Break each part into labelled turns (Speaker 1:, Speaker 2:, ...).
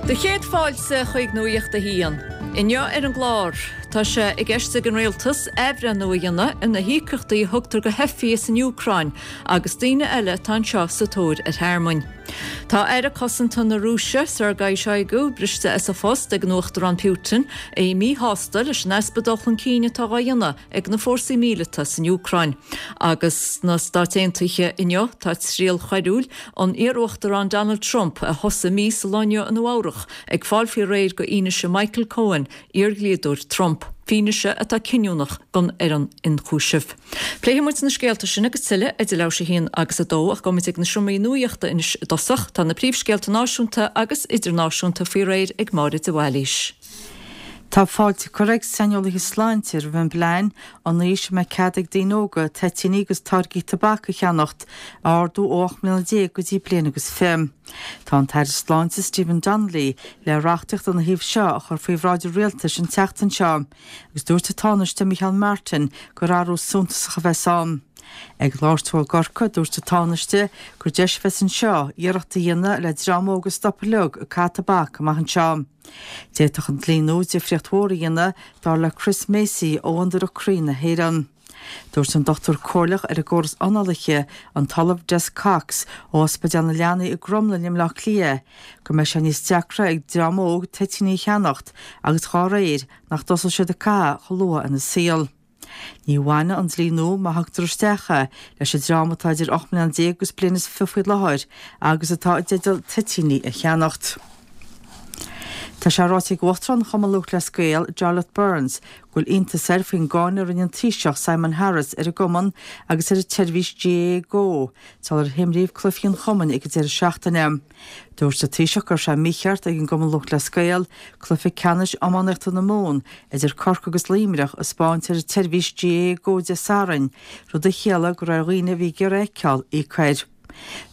Speaker 1: Do chéad fáilte chuig Nuacht a hAon. Inniu ar an gclár, tá sé i gceist ag an Rialtas athbhreithniú a dhéanamh ar na híocaíochtaí a thugtar do theifigh as an Úcráin agus daoine eile atá anseo sa tóir ar thearmainn. Tá Aire Cosanta na Rúise, Sergei Shoigu, briste as a phost ag an Uachtarán Putin, é míshásta leis an easpa dul chun cinn atá á dhéanamh ag na fórsaí míleata san Úcráin. Agus sna Stáit Aontaithe inniu, tá triail choiriúil an iar-Uachtaráin Donald Trump, a thosaigh mí sa lá inniu i Nua Eabhrach, ag fáil faoi réir go fhianaise Michael Cohen, iardhlíodóir Trump, fianaise atá cinniúnach don fhoireann ionchúisimh. Pléifidh muid na scéalta sin agus tuilleadh idir leathuair tar éis a haon agus a dó ach gabhfaidh muid ag na seomraí nuaíochta anois i dtosach. Tá na príomhscéalta náisiúnta agus idirnáisiúnta faoi réir ag Máire de Bhailís.
Speaker 2: Tá fáilte curtha ag saineolaithe sláinte roimh an bplean an aois a mbeidh cead ag daoine óga toitíní agus táirgí tobac a cheannacht a ardú ó 18 mbliana go dtí bliain agus 20. Tá an tAire Sláinte Stephen Donnelly le reachtaíocht ina thaobh seo a chur faoi bhráid an Rialtais an tseachtain seo agus dúirt an Tánaiste Micheál Martin gur athrú suntasach a bheas ann. Ag labhairt dó i gCorcaigh, dúirt an Tánaiste gur deis a bheas anseo iarracht a dhéanamh le dream óg a stopadh uilig ag caitheamh tobac amach anseo. D'fhéadfadh an dlí nua difríocht mhór a dhéanamh, dar le Chris Macey ó Fhondúireacht Croí na hÉireann. Dúirt an dochtúir comhairleach ar an gcóras análaithe, an tOllamh Des Cox ó Ospidéal na Leanaí i gCromghlinn i mBleá Cliath, go mbeidh sé níos deacra ag dream óg toitíní a cheannacht agus dhá réir nach dtosóidh siad ag caitheamh chomh luath ina saol. Ní bhainfidh an dlí nua, má thugtar isteach é, leis an dream atá idir 18 mbliana agus bliain is 20 faoi láthair agus atá i dteideal toitíní a cheannacht. Tá sé ráite ag Uachtarán Chumann Lúthchleas Gael, Jarlath Burns, go bhfuil iontas air faoin gcáineadh a rinne an Taoiseach Simon Harris ar an gcumann agus ar an tseirbhís GAA Go sular himríodh cluichí an chumainn ag an deireadh seachtaine. Dúirt an Taoiseach go raibh sé mícheart ag an gCumann Lúthchleas Gael cluiche ceannais iománaíochta na Mumhan idir Corcaigh agus Luimneach a 'spáint ar an tseirbhís GAA Go Dé Sathairn, rud a chiallaigh go raibh ar dhaoine a bhí ag iarraidh é a fheiceáil íoc air.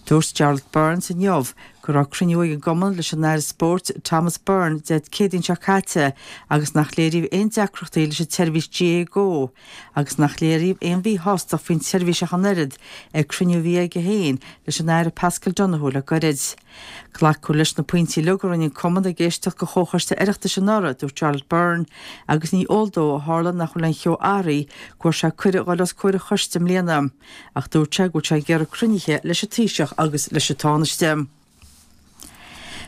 Speaker 2: Dúirt Jarlath Burns inniu go raibh cruinniú ag an gcumann leis an Aire Spóirt Thomas Byrne Dé Céadaoin seo caite agus nach léiríodh aon deacrachtaí leis an tseirbhís GAA Go agus nach léiríodh aon mhíshástacht faoin tseirbhís ach an oiread ag cruinniú a bhí aige féin leis an Aire Paschal Donohoe le gairid. Glacadh leis na pointí uilig a rinne an cumann ag éisteacht go Chomhchoiste Oireachtais anuraidh, dúirt Jarlath Burns, agus ní eol dó ó tharla nach bhfuil aon cheo athraithe go bhfuair sé cuireadh dhul os comhair an choiste i mbliana. Ach dúirt sé go bhfuil sé ag iarraidh cruinnithe leis an Taoiseach agus leis an Tánaiste.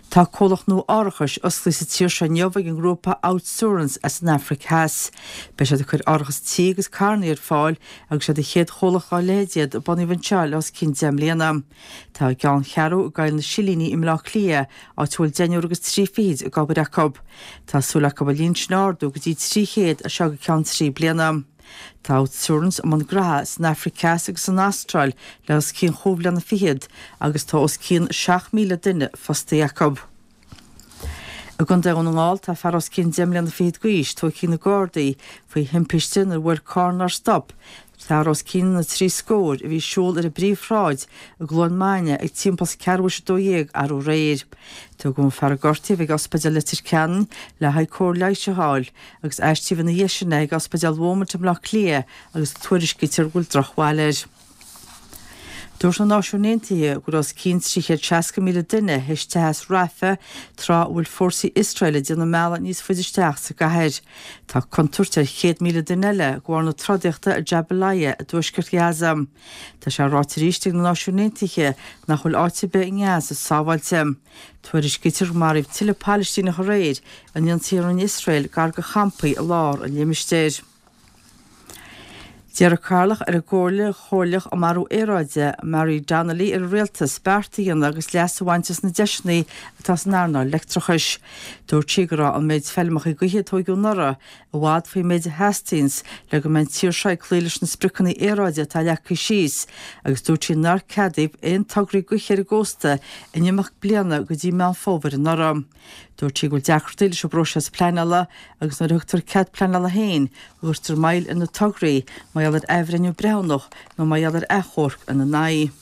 Speaker 2: Tá comhlacht nua árachais osclaithe sa tír seo inniu ag an ngrúpa Outsurance as an Afraic Theas. Beidh siad ag cur árachas tí agus carranna ar fáil agus siad an chéad chomhlacht dá leithéid iad a bunaíodh anseo le os cionn 10 mbliana. Tá a gceanncheathrú i gCoill na Silíní i mBleá Cliath, áit a bhfuil deichniúr agus trí fichid ag obair acu. Tá súil acu an líon sin a ardú go dtí 300 as seo go ceann trí bliana. Tá Outsurance i mbun graithe san Afraic Theas agus san Astráil le os cionn chúig bhliana fichead agus tá os cionn 7,000 duine fostaithe acu. I gContae Dhún na nGall tá fear os cionn deich mbliana fichead d'aois tógtha ag na Gardaí faoi thimpiste nuair a bhuail carr nár stop fear os cionn na trí scór a bhí ag siúl ar an bPríomhshráid i gCluain Maine ag timpeall is ceathrú théis a 12 arú aréir. Tugadh an fear a gortaíodh ag Ospidéal Leitir Ceanainn le haghaidh cóir leighis a fháil. agus aistríodh ina dhiaidh sin é ag Ospidéal Beaumont i mBleá Cliath agus tuairiscítear go bhfuil drochbhail air. Dúirt na Náisiúin Aontaithe go bhfuil os cionn 360,000 duine théis teitheadh as Rafah tráth a bhfuil fórsaí Iosrael ag déanamh a mbealaigh níos faide isteach sa gcathair. Tá contúirt ar 100,000 duine eile de bharr na trodaíochta i Jabalia i dtuaisceart Ghaza. Tá sé ráite arís ag na Náisiúin Aontaithe nach bhfuil áit ar bith i nGaza sábháilte. Tuairiscítear gur maraíodh tuilleadh Palaistíneach aréir in ionsaí a rinne Iosrael gar do champaí i lár an limistéir. D'iarr an Cathaoirleach ar an gComhairle Chomhairleach um Athrú Aeráide, Marie Donnelly ar an Rialtas beart a dhéanamh agus leas a bhaint as na deiseanna atá san earnáil leictreachais. Dúirt sí go raibh an méid feilmeacha gaoithe a tóigeadh anuraidh i bhfad faoin méid a theastaíonns le go mbeidh an tír seo ag cloí leis na spriocanna aeráide atá leagtha síos agus dúirt sí nár ceadaíodh aon tograí gaoithe ar an gcósta in imeacht bliana go dtí Meán Fómhair anuraidh. Dúirt sí go bhfuil deacrachtaí leis an bpróiseas pleanála agus nuair a thugtar cead pleanála féin go gcuirtear moill ar na tograí mar gheall ar athbhreithniú breithiúnach nó mar gheall ar achomharc ina n-aghaidh.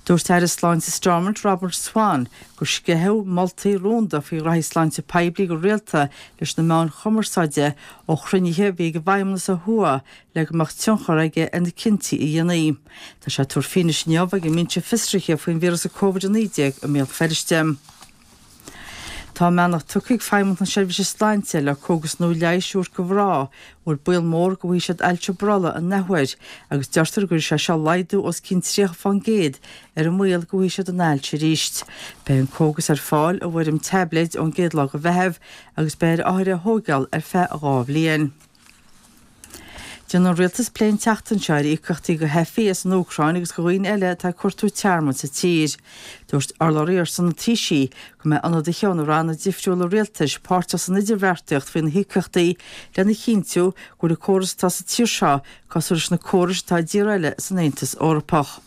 Speaker 2: Dúirt Aire Sláinte Stormont Robert Swan gur sceitheadh moltaí rúnda faoi ghraithí sláinte poiblí go rialta leis na meáin chumarsáide ó chruinnithe a bhí ag an bhFeidhmeannas ó thuaidh le go mbeadh tionchar aige ar na cinntí a dhéanfaí. Tá sé ag tabhairt fianaise inniu ag an mBinse Fiosraithe faoin víreas Covid-19 i mBéal Feirste. Tá a mbeannacht tugtha ag Feidhmeannacht na Seirbhíse Sláinte le cógas nua leighis a thabhairt do mhná a bhfuil baol mór go bhfaighidh siad ailse brollaigh an athuair agus deirtear go gcuirfidh sé seo laghdú os cionn 30% ar an mbaol go bhfaighidh siad an ailse arís. Beidh an cógas ar fáil i bhfoirm taibléid ón gcéad lá de Mheitheamh agus beidh ar othair é a thóigeáil ar feadh 2 bhliain. Déanfaidh an Rialtas plé an tseachtain seo ar íocaíochtaí do theifigh as an Úcráin agus do dhaoine eile atá ag cuartú tearmainn sa tír. Dúirt urlabhraí ar son an Taoisigh go mbeidh ionadaithe ó na ranna difriúla rialtais páirteach san idirbheartaíocht faoi na híocaíochtaí lena chinntiú go bhfuil an córas atá sa tír seo cosúil leis na córais atá i dtíortha eile san Aontas Eorpach.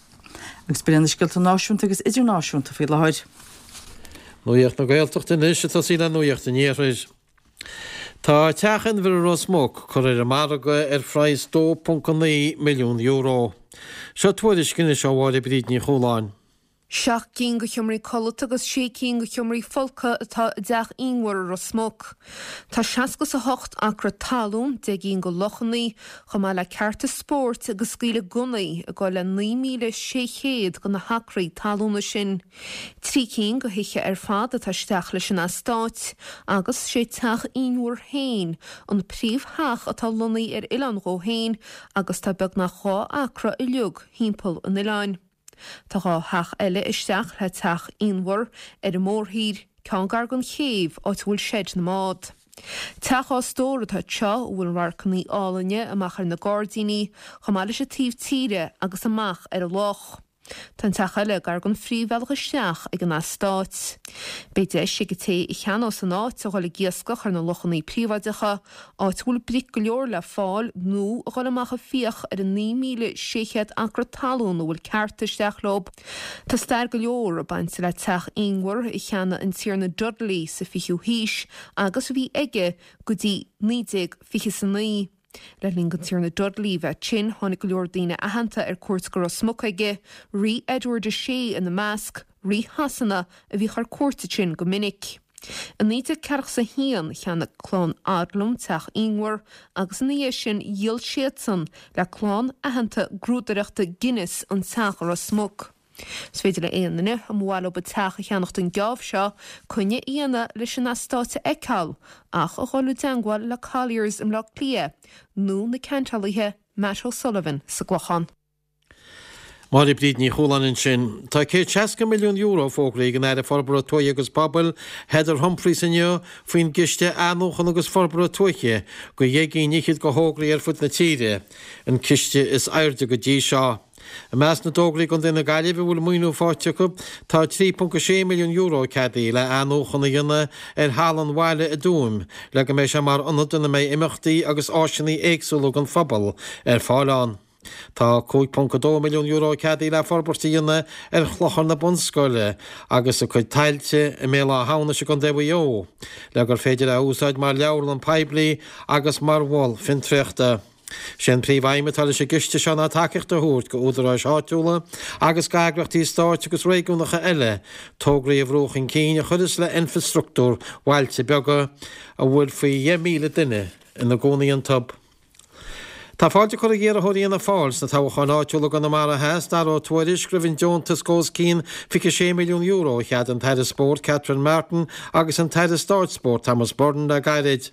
Speaker 2: Agus b'in iad na scéalta náisiúnta agus idirnáisiúnta faoi láthair.
Speaker 3: Nuacht na Gaeltachta anois ag tosaí le Nuacht an Iarthair. Tá Teach Inbhir i Ros Muc curtha ar an margadh ar phraghas €2.9 milliún. Seo tuairisc anois ó Mháire Bríd Ní Chualáin.
Speaker 4: Seacht gcinn de sheomraí codlata agus sé cinn de sheomraí folctha atá i dTeach Inbhir i Ros Muc. Tá 68 acra talún, 10 gcinn de lochanna, chomh maith le cearta spóirt agus scaoileadh gunnaí ag dul le 9,600 de na hacraí talúna sin. Trí cinn de thithe ar fad atá isteach leis an eastát agus sé Teach Inbhir féin an príomhtheach atá lonnaithe ar oileán dhó féin agus tá beagnach 2 acra uilig thimpeall an oileáin. Tá 2 theach eile isteach le Teach Inbhir ar an mórthír, ceann gar don chéibh áit a bhfuil seid na mbád. Teach dhá stór atá anseo a bhfuil radharcanna álainne amach ar na gairdíní chomh maith leis an taobh tíre agus amach ar an loch. Tá an teach eile gar don phríomhbhealach isteach ag an eastát. Beidh deis ag an té a cheannós an áit a dhul ag iascach ar na lochanna príobháideacha, áit a bhfuil bric go leor le fáil, nó a dhul amach ag fiach ar an 9,600 acra talún a bhfuil cearta isteach leo. Tá stair go leor ag baint le teach Inbhir a cheannaigh an Tiarna Dudley sa 20ú haois agus a bhí aige go dtí 1929. Le linn don Tiarna Dudley bheith tinn, tháinig go leor daoine aitheanta ar cuairt go Ros Muc aige, Rí Edward VI ina measc, Rí Shasana a bhíodh ar cuairt ansin go minic. I 1941, cheannaigh clann Odlum teach Inbhir agus ina dhiaidh sin dhíol siadsan le clann aitheanta grúdaireachta Guinness an teach i Ros Muc. Is féidir le aon duine a mba mhaith leo teach a cheannacht an geábh seo coinne a dhéanamh leis an eastát a fheiceáil ach a dhul i dteangmháil le Colliers i mBleá Cliath nó na ceantálaithe Matt O'Sullivan sa gClochán.
Speaker 3: Máire Bríd Ní Chualáin ansin. Tá €160 milliún fógraithe ag an Aire Forbartha Tuaithe agus Pobail, Heather Humphreys inniu faoin gCiste Athnuachana agus Forbartha Tuaithe go dheich gcinn fhichead de thograí ar fud na tíre, an ciste is airde go dtí seo. I measc na dtograí i gContae na Gaillimhe a bhfuil maoiniú faighte acu tá €3.6 milliún ceadaithe le athnuachan a dhéanamh ar Halla an Bhaile i dTuaim le go mbeidh sé mar ionad ina mbeidh imeachtaí agus áiseanna éagsúla don phobal ar fáil ann. Tá €5.2 milliún ceadaithe le forbairt a dhéanamh ar Chlochar na Bunscoile agus a cuid tailte i mBéal Átha hAmhnais i gContae Mhaigh Eo le gur féidir é a úsáid mar leabharlann poiblí agus mar mhol fiontraíochta. Sé an príomh-aidhm atá leis an gciste seo ná tacaíocht a thabhairt go údaráis áitiúla agus go eagraíochtaí stáit agus réigiúnacha eile tograí a bhrú chun cinn a chuireas le infreastruchtúr bhailte beaga a bhfuil faoi 10,000 duine ina gcónaí iontu. Tá fáilte curtha ag iarrthóirí Fhianna Fáil sna toghcháin áitiúla i gConamara Theas, Dara Ó Tuairisg, roimh an deontas de os cionn €26 milliún a cheadaigh an tAire Spóirt Catherine Martin agus an tAire Stáit Spóirt Thomas Byrne le gairid.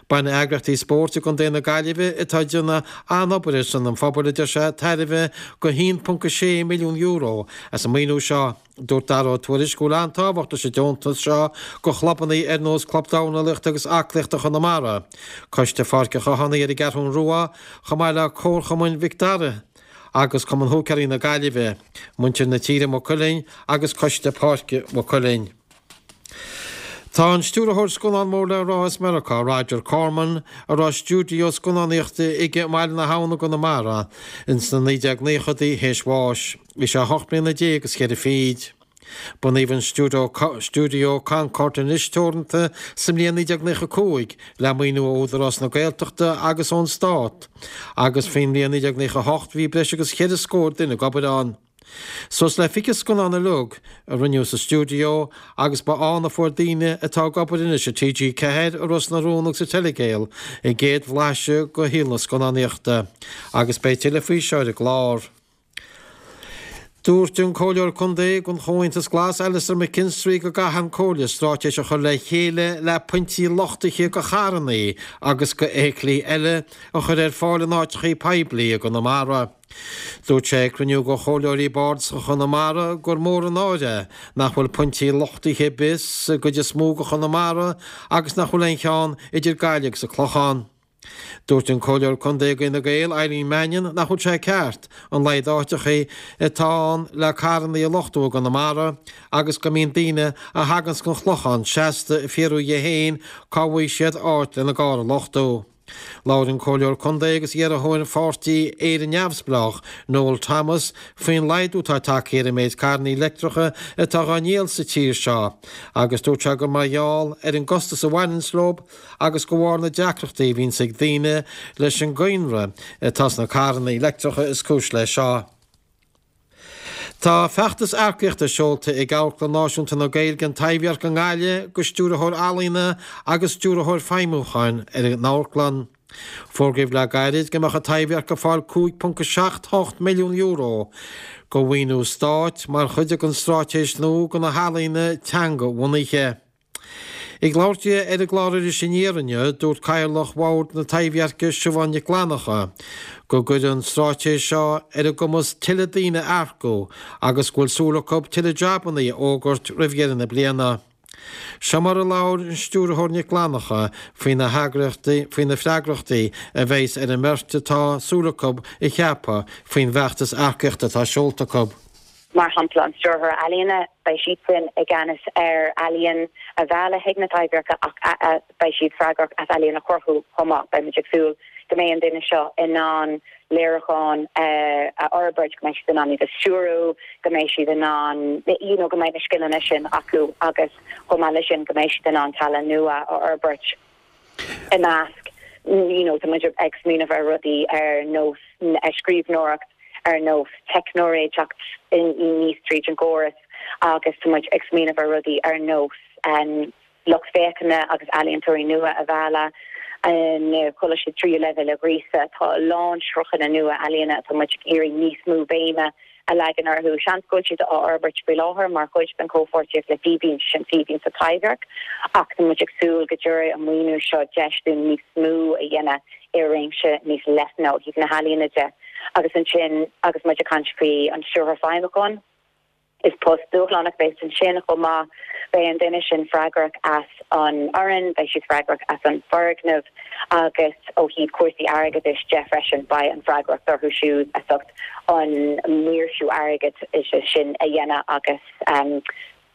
Speaker 3: Bainfidh eagraíochtaí spóirt i gContae na Gaillimhe atá ag déanamh an-obair ar son an phobail, a deir sé, tairbhe de €1.6 milliún as an maoiniú seo. Dúirt Dara Ó Tuairisg go bhfuil an-tábhacht leis an deontas seo go chlubanna ar nós Club Dornálaíochta agus Aclaíochta Chonamara, Coiste Pháirc an Chathánaigh ar an gCeathrún Rua, chomh maith le Comharchumann Mhic Dara agus Cumann Húicéirí na Gaillimhe, Muintir na Tíre Maigh Cuilinn agus Coiste Páirce Mhaigh Cuilinn. Tá an stiúrthóir scannán mór le rá as Meiriceá, Roger Corman, a raibh stiúideo scannánaíochta aige i mBaile na hAbhann i gConamara ins na 1990idí, théis bháis. Bhí sé ocht mbliana déag is cheithre fichid. Bunaíodh an stiúideo Stiúideo Concorde Anois Teoranta sa mbliain 1995 le maoiniú ó Údarás na Gaeltachta agus ón Stát agus faoin mbliain 1998 bhí breis agus cheithre scór duine ag obair ann. Suas le 20 scannán uilig a rinneadh sa stiúideo agus ba ann a fuair daoine atá ag obair anois i TG4, i Ros na Rún agus i Telegael a gcéad bhlaiseadh de shaol na scannánaíochta. Agus beidh tuilleadh faoi seo ar an gclár. Dúirt an Comhairleoir Contae don Chomhaontas Glas, Alastair McKinstry go gcaithfidh an Comhairle straitéis a chur le chéile le pointí luchtaithe go charrannaí agus go fheithiclí eile a chur ar fáil in áiteachaí poiblí i gConamara. Dúirt sé ag cruinniú go Chomhairleoirí Bardasacha Chonamara gur mór an náire é nach bhfuil pointí luchtaithe ar bith sa gcuid is mó go Chonamara agus nach bhfuil aon cheann idir Gaillimh agus an Clochán. Dúirt an Comhairleoir Contae ag Fhine Gael, Eileen Mannion, nach bhfuil sé ceart an laghad áiteachaí atá ann le carrannaí a luchtú i gConamara agus go mbíonn daoine a thaganns gon Chlochán seasta ag fiafraí dhe féin cá bhfaighidh siad áit lena gcarr a luchtú. Labhair an Comhairleoir Contae agus iarrthóir pháirtí Éire Neamhspleách, Noel Thomas, faoin laghdú atá tagtha ar an méid carrannaí leictreacha atá dhá ndíol sa tír seo agus dúirt sé gur mar gheall ar an gcostas a bhaineanns leob agus de bharr na deacrachtaí a bhíonns ag daoine leis an gcoinnre atá sna carrannaí leictreacha is cúis leis seo. Tá feachtas earcaíochta seolta ag Amharclann Náisiúnta na Gaeilge, An Taibhdhearc i nGaillimh go Stiúrthóir Ealaíona agus Stiúrthóir Feidhmiúcháin ar an amharclann. Fógraíodh le gairid go mbeadh an Taibhdhearc ag fáil €5.78 milliún go mhaoiniú stáit mar chuid den straitéis nua go na healaíona teanga-bhunaithe. Ag labhairt di ar an gclár Iris Aniar inniu, dúirt Cathaoirleach Bhord na Taibhdheirce, Siobhán Nic Fhlannacha, go gcuirfidh an straitéis seo ar a gcumas tuilleadh daoine a earcú agus go bhfuil súil acu tuilleadh jabannaí a fhógairt roimh dheireadh na bliana. Seo mar a labhair an Stiúrthóir Nic Fhlannacha faoi na faoi na freagrachtaí a bheas ar an mbeirt atá súil acu a cheapadh faoin bhfeachtas earcaíochta atá seolta acu.
Speaker 5: Mar shampla, an Stiúrthóir Ealaíona, beidh siadsan i gceannas ar ealaíon a mhealladh chuig na Taibhdheirce ach beidh siad freagrach as ealaíon a chruthú chomh maith. Beidh muid ag súil go mbeidh an duine seo in ann léiriúcháin a fhorbairt, go mbeidh siad in ann iad a stiúrú, go mbeidh siad in ann, you know, go mbeidh na scileanna sin acu agus chomh maith leis sin go mbeidh siad in ann tallann nua a fhorbairt. I measc, you know, tá muid ag smaoineamh ar rudaí ar nós scríbhneoireacht, ar nós teicneoirí ag teacht aníos tríd an gcóras agus tá muid ag smaoineamh ar rudaí ar nós lucht féachana agus ealaíontóirí nua a mhealladh, na coláistí tríú leibhéal a ghríosadh. Tá a lán sruthanna nua ealaíona atá muid ag iarraidh níos mó béime a leagan orthu. Seans go bhfuil siad á fhorbairt faoi láthair mar chuid den chomhpháirtíocht le Fíbín, sin Fíbín sa Taibhdhearc, ach tá muid ag súil go dtabharfaidh an maoiniú seo deis dúinn níos mó a dhéanamh i réimse níos leithne ó thaobh na healaíona de. Agus ansin, agus muid ag caint faoi an Stiúrthóir Feidhmiúcháin, Is post dúshlánach a bheas ansin chomh maith. Beidh an duine sin freagrach as an fhoireann, beidh siad freagrach as an bhfoirgneamh agus ó thaobh cúrsaí airgeadais de freisin, beidh an fhreagracht orthu siúd as ucht an maoirsiú airgeadais sin a dhéanamh agus an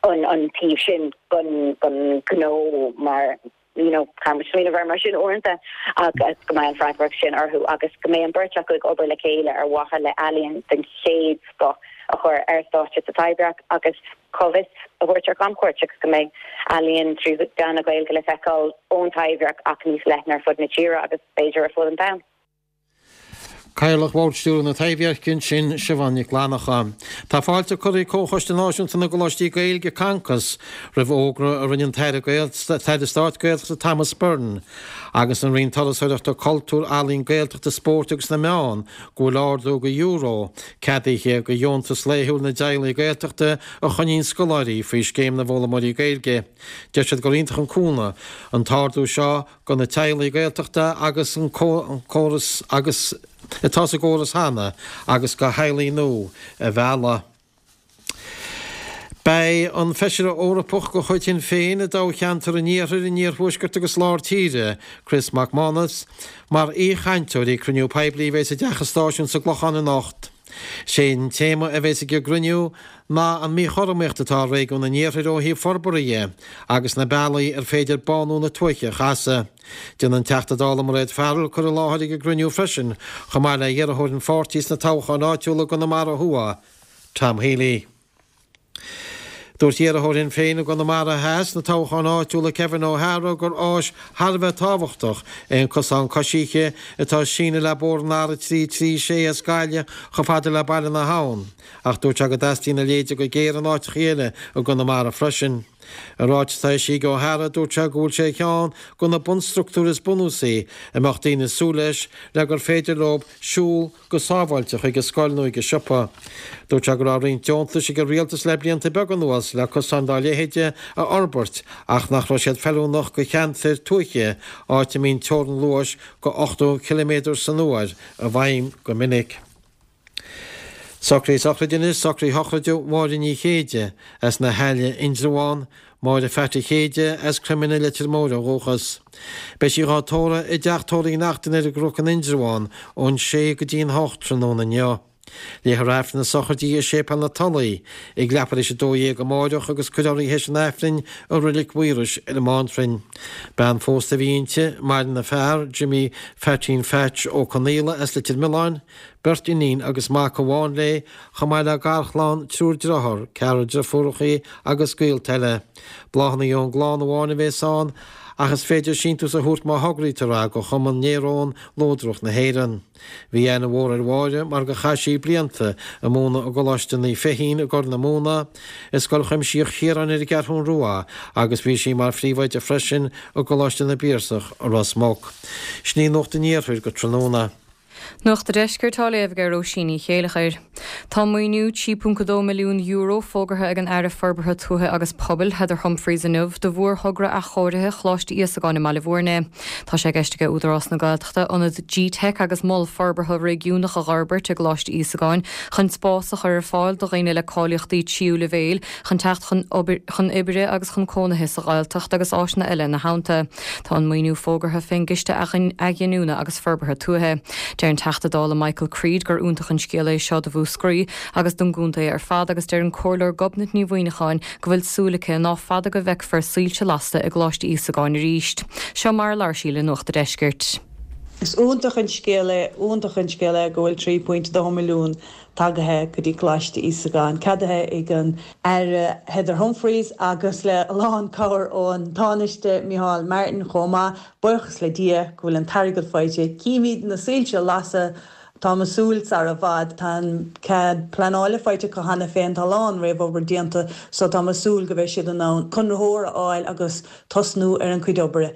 Speaker 5: taobh sin den ghnó mar you know, caithfidh muid smaoineamh air mar sin uaireanta agus go mbeidh an freagracht sin orthu agus go mbeidh an bheirt acu ag obair le chéile ar mhaithe le ealaíon den chéad scoth a chur ar stáitse sa Taibhdhearc agus comhfhios a thabhairt ar camchuairt agus go mbeidh ealaíon trí mheán na Gaeilge le feiceáil ón Taibhdhearc ach níos leithne ar fud na tíre agus b'fhéidir ar fud an domhain.
Speaker 3: Cathaoirleach Bhord Stiúrtha na Taibhdheirce ansin, Siobhán Nic Fhlannacha. Tá fáilte curtha ag Comhchoiste Náisiúnta na gColáistí Gaeilge, Concos, roimh fhógra a rinne an tAire Taire Stáit Gaeltachta Thomas Byrne agus an Roinn Turasóireachta, Cultúir, Ealaíon, Gaeltachta, Spóirt agus na Meán go bhfuil ardú go euro ceadaithe do dheontas laethúil na dteaghlaigh Gaeltachta a choinníonn scoláirí faoi Scéim na bhFoghlaimeoirí Gaeilge. Deir siad gur iontach an cúnamh an t-ardú seo do na teaghlaigh Gaeltachta agus an córas agus atá sa gcóras cheana agus do theaghlaigh nua a mhealladh. Beidh an Feisire Eorpach de chuid Shinn Féin i dtoghcheantar an Iarthair, an Iarthuaiscirt agus Lár Tíre, Chris MacManus, mar aoichainteoir ag cruinniú poiblí a bheas i dTeach an Stáisiúin sa gClochán anocht. Sé an téama a bheas ag an gcruinniú ná an míchothromaíocht atá i réigiún an iarthair ó thaobh forbartha dhe agus na bealaí ar féidir bánú na tuaithe a chasadh. Déanfaidh an Teachta Dála Mairéad Farrell cur i láthair ag an gcruinniú freisin, chomh maith le hiarrthóir an pháirtí sna toghcháin áitiúla i gConamara Thuaidh, Tom Healy. Dúirt iarrthóir Shinn Féin i gConamara Theas sna toghcháin áitiúla Kevin O'Hara gur áis thar a bheith tábhachtach é an cosán coisithe atá ag síneadh le bóthar an R336 as Gaillimh chomh fada le Baile na hAbhann ach dúirt sé go dteastaíonn a leithéide go géar in áiteachaí eile i gConamara freisin. I ráiteas atá eisithe ag Ó hEadhra, dúirt sé go bhfuil sé ar cheann de na bunstruchtúir is bunúsaí a mbeadh daoine ag súil leis le gur féidir leo siúl go sábháilte chuig an scoil nó chuig an siopa. Dúirt sé go raibh roinnt deontais ag an rialtas le blianta beaga anuas le cosáin dá leithéide a fhorbairt ach nach raibh siad feiliúnach do cheantair tuaithe, áit a mbíonn teorainn luais de 80 ciliméadar san uair i bhfeidhm go minic. Socruithe sochraide anois, socruithe shochraide Mháire Ní Chéide as na hAille, Indreabhán, Máire Pheaití Chéide as Croimine Leitir Móir ó dhúchas. Beidh sí dhá tórramh i dTeach Tórraimh Uí Neachtain ar an gCnoc in Indreabhán ón sé go dtí an hocht tráthnóna inniu. Léifear Aifreann na sochraide i Séipéal na Tulaí ag leathuair théis 12 amáireach agus cuirfear í théis an Aifrinn i Roilig Mhaorais ar an mBántrainn. Bean phósta a bhí inti, maireann a fear, Jimmy Pheaitín Pheaits Ó Conaola as Leitir Mealláin, beirt iníon agus mac amháin léi, chomh maith le garchlann, triúr dearthár, ceathrar deirfiúrachaí agus gaolta eile. Bláthanna ón gclann amháin a bhéas ann, ach is féidir síntiús a thabhairt má thograítear é go Chumann Néarón Luadrach na hÉireann. Bhí aithne mhór ar Mháire mar gur chaith sí blianta ag múineadh i gColáiste Naomh Feichín i gCorr na Móna, i Scoil Chuimsitheach Chiaráin ar an gCeathrún Rua agus bhí sí mar phríomhoide freisin i gColáiste na bPiarsach i Ros Muc. Sin í Nuacht an Iarthair go tráthnóna.
Speaker 6: Nuacht an Deiscirt á léamh ag Róisín Ní Chéileachair. Tá maoiniú €3.2 milliún fógartha ag an Aire Forbartha Tuaithe agus Pobail, Heather Humphreys inniu do mhórthogra athchóirithe Choláiste Íosagáin i mBaile Bhúirne. Tá sé i gceist ag Údarás na Gaeltachta ionad G-Teic agus mol forbartha réigiúnach a dh'fhorbairt i gColáiste Íosagáin chun spás a chur ar fáil do dhaoine le cáilíochtaí tríú leibhéil chun teacht chun chun oibre agus chun cónaithe sa Ghaeltacht agus áiseanna eile ina theannta. Tá an maoiniú fógartha fén gCiste Athghiniúna agus Forbartha Tuaithe. Deir an Teachta Dála Michael Creed gur iontach an scéal é seo do Mhúscraí agus don gcontae ar fad agus deir an Comhairleoir Gobnait Ní Mhuineacháin go bhfuil súil aici ná fada go bhfeicfear soilse lasta i gColáiste Íosagáin arís. Seo mar a labhair sí le Nuacht a' Deiscirt.
Speaker 7: Is iontach an scéal é, iontach an scéal é go bhfuil 3.2 milliún tagaithe go dtí Coláiste Íosagáin, ceadaithe ag an Aire Heather Humphreys agus le a lán cabhair ón Tánaiste Micheál Martin chomh maith. Buíochas le Dia go bhfuil an t-airgead faighte. Címid na soilse ag lasadh, táim ag súil sar i bhfad. Tá an cead pleanála faighte acu cheana féin, tá a lán réamhobair déanta so táim ag súil go mbeidh siad in ann conraitheoir a fháil agus tosnú ar an cuid oibre.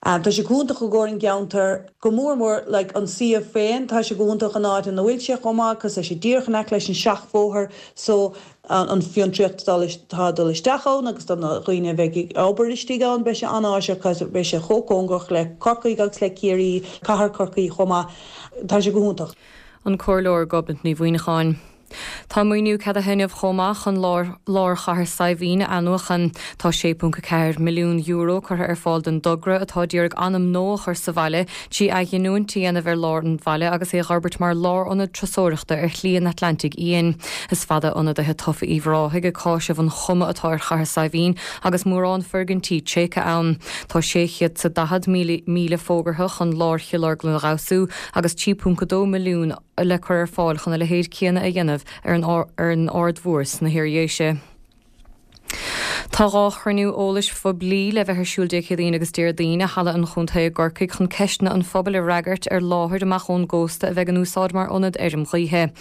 Speaker 7: Tá sé go hiontach i gcomhair an gceantar, go mór mór like an suíomh féin, tá sé go hiontach an áit ina bhfuil sé chomh maith cos tá sé díreach in aice leis an seachbhóthar so an fiontraíocht atá ag dul isteach ann agus do na dhaoine a bheidh ag obair istigh ann beidh sé an-áiseach cos beidh sé chomh cóngarach le Corcaigh agus le Ciarraí, cathair Chorcaí chomh maith. Tá sé go hiontach.
Speaker 6: An Comhairleoir Gobnait Ní Mhuineacháin. Tá maoiniú ceadaithe inniu chomh maith chun lár lár Chathair Saidhbhín a athnuachan. Tá €6.4 milliún curtha ar fáil don dtogra, atá d'iarraidh anam nua a chur sa bhaile trí athghiniúint a dhéanamh ar lár an bhaile agus é a dh'fhorbairt mar lárionad turasóireachta ar Shlí an Atlantaigh Fhiáin. Is fada ionadaithe tofa Uíbh Ráthaigh ag cáiseamh an chuma atá ar Chathair Saidhbhín agus mórán foirgintí tréigthe ann. Tá 640,000 fógartha chun lár Chill Orglan a dh'fheabhsú agus 3.2 milliún le cur ar fáil chun a leithéid céanna a dhéanamh ar an Aird Mhór sna hIardhéise. Tá dhá chruinniú eolais phoiblí le bheith ar siúl Dé Céadaoin agus Déardaoin i Halla an Chontae i gCorcaigh chun ceisteanna an phobail a fhreagairt ar láthair amach ón gcósta a bheidh in úsáid mar ionad fheirm ghaoithe.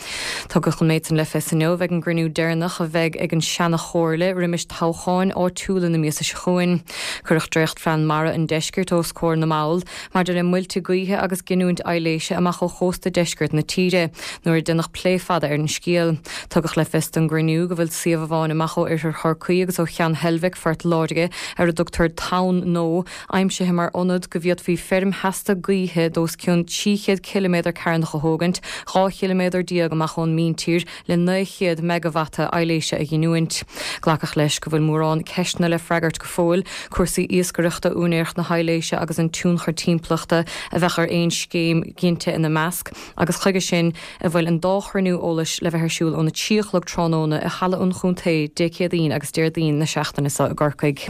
Speaker 6: Tugadh an méid san le fios inniu ag an gcruinniú deireanach a bheidh ag an seana-chomhairle roimis toghcháin áitiúla na míosa seo chugainn. Cuireadh dréachtphlean mara an deiscirt os comhair na mball maidir le muilte gaoithe agus giniúint aibhléise amach ó chósta deisceart na tíre, nuair a deineadh plé fada ar an scéal. Tugadh le fios don gcruinniú go bhfuil suíomh amháin amach ó oirthear Chorcaí agus ó Cheann Heilbhic, Phort Láirge, ar a dtugtar Tonn Nó, aimsithe mar ionad go bhféadfaí feirm sheasta gaoithe d'os cionn 300 ciliméadar cearnach a thógaint, 12 chiliméadar amach ón míntír, le 900 meigeavata aibhléise a ghiniúint. Glacadh leis go bhfuil mórán ceisteanna le freagairt go fóill, cúrsaí iascaireachta, úinéireacht na haibhléise agus an tionchar timpeallachta a bheadh ar aon scéim ginte ina measc, agus chuige sin a bhfuil an dá chruinniú eolais le bheith ar siúl óna 3 a chlog tráthnóna i Halla an Chontae Dé Céadaoin agus Déardaoin na seachtaine seo i gCorcaigh.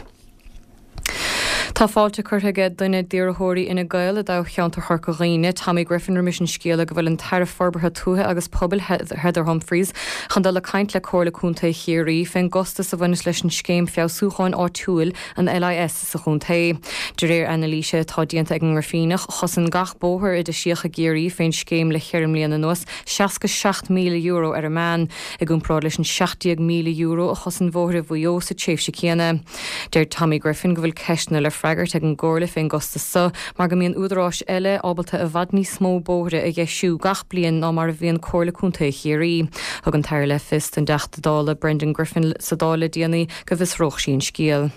Speaker 6: Tá fáilte curtha aige duine d'iarrthóirí Fhine Gael i dtoghcheantar Chorca Dhuibhne, Tommy Griffin roimis an scéala go bhfuil an tAire Forbartha Tuaithe agus Pobail Heather Humphreys chun dul ag caint le Comhairle Contae Chiarraí fén gcostas a bhaineas leis an scéim feabhsúcháin áitiúil, an LIS, sa chontae. De réir anailíse atá déanta ag an nGrifíneach, chosain gach bóthar a deisíodh i gCiarraí fén scéim le cheithre mbliana anuas €67,000 ar an meán, i gcomparáid leis an €17,000 a chosain bóithre Mhaigh Eo sa tréimhse céanna. Deir Tommy Griffin go bhfuil ceisteanna le freagairt ag an gComhairle fén gcostas so mar go mbíonn údaráis eile ábalta i bhfad níos mó bóithre a dheisiú gach bliain ná mar a bhíonn Comhairle Contae Chiarraí. Thug an tAire le fios don dTeachta Dála Brendan Griffin sa Dáil le déanaí go bhfiosródh sí an scéal.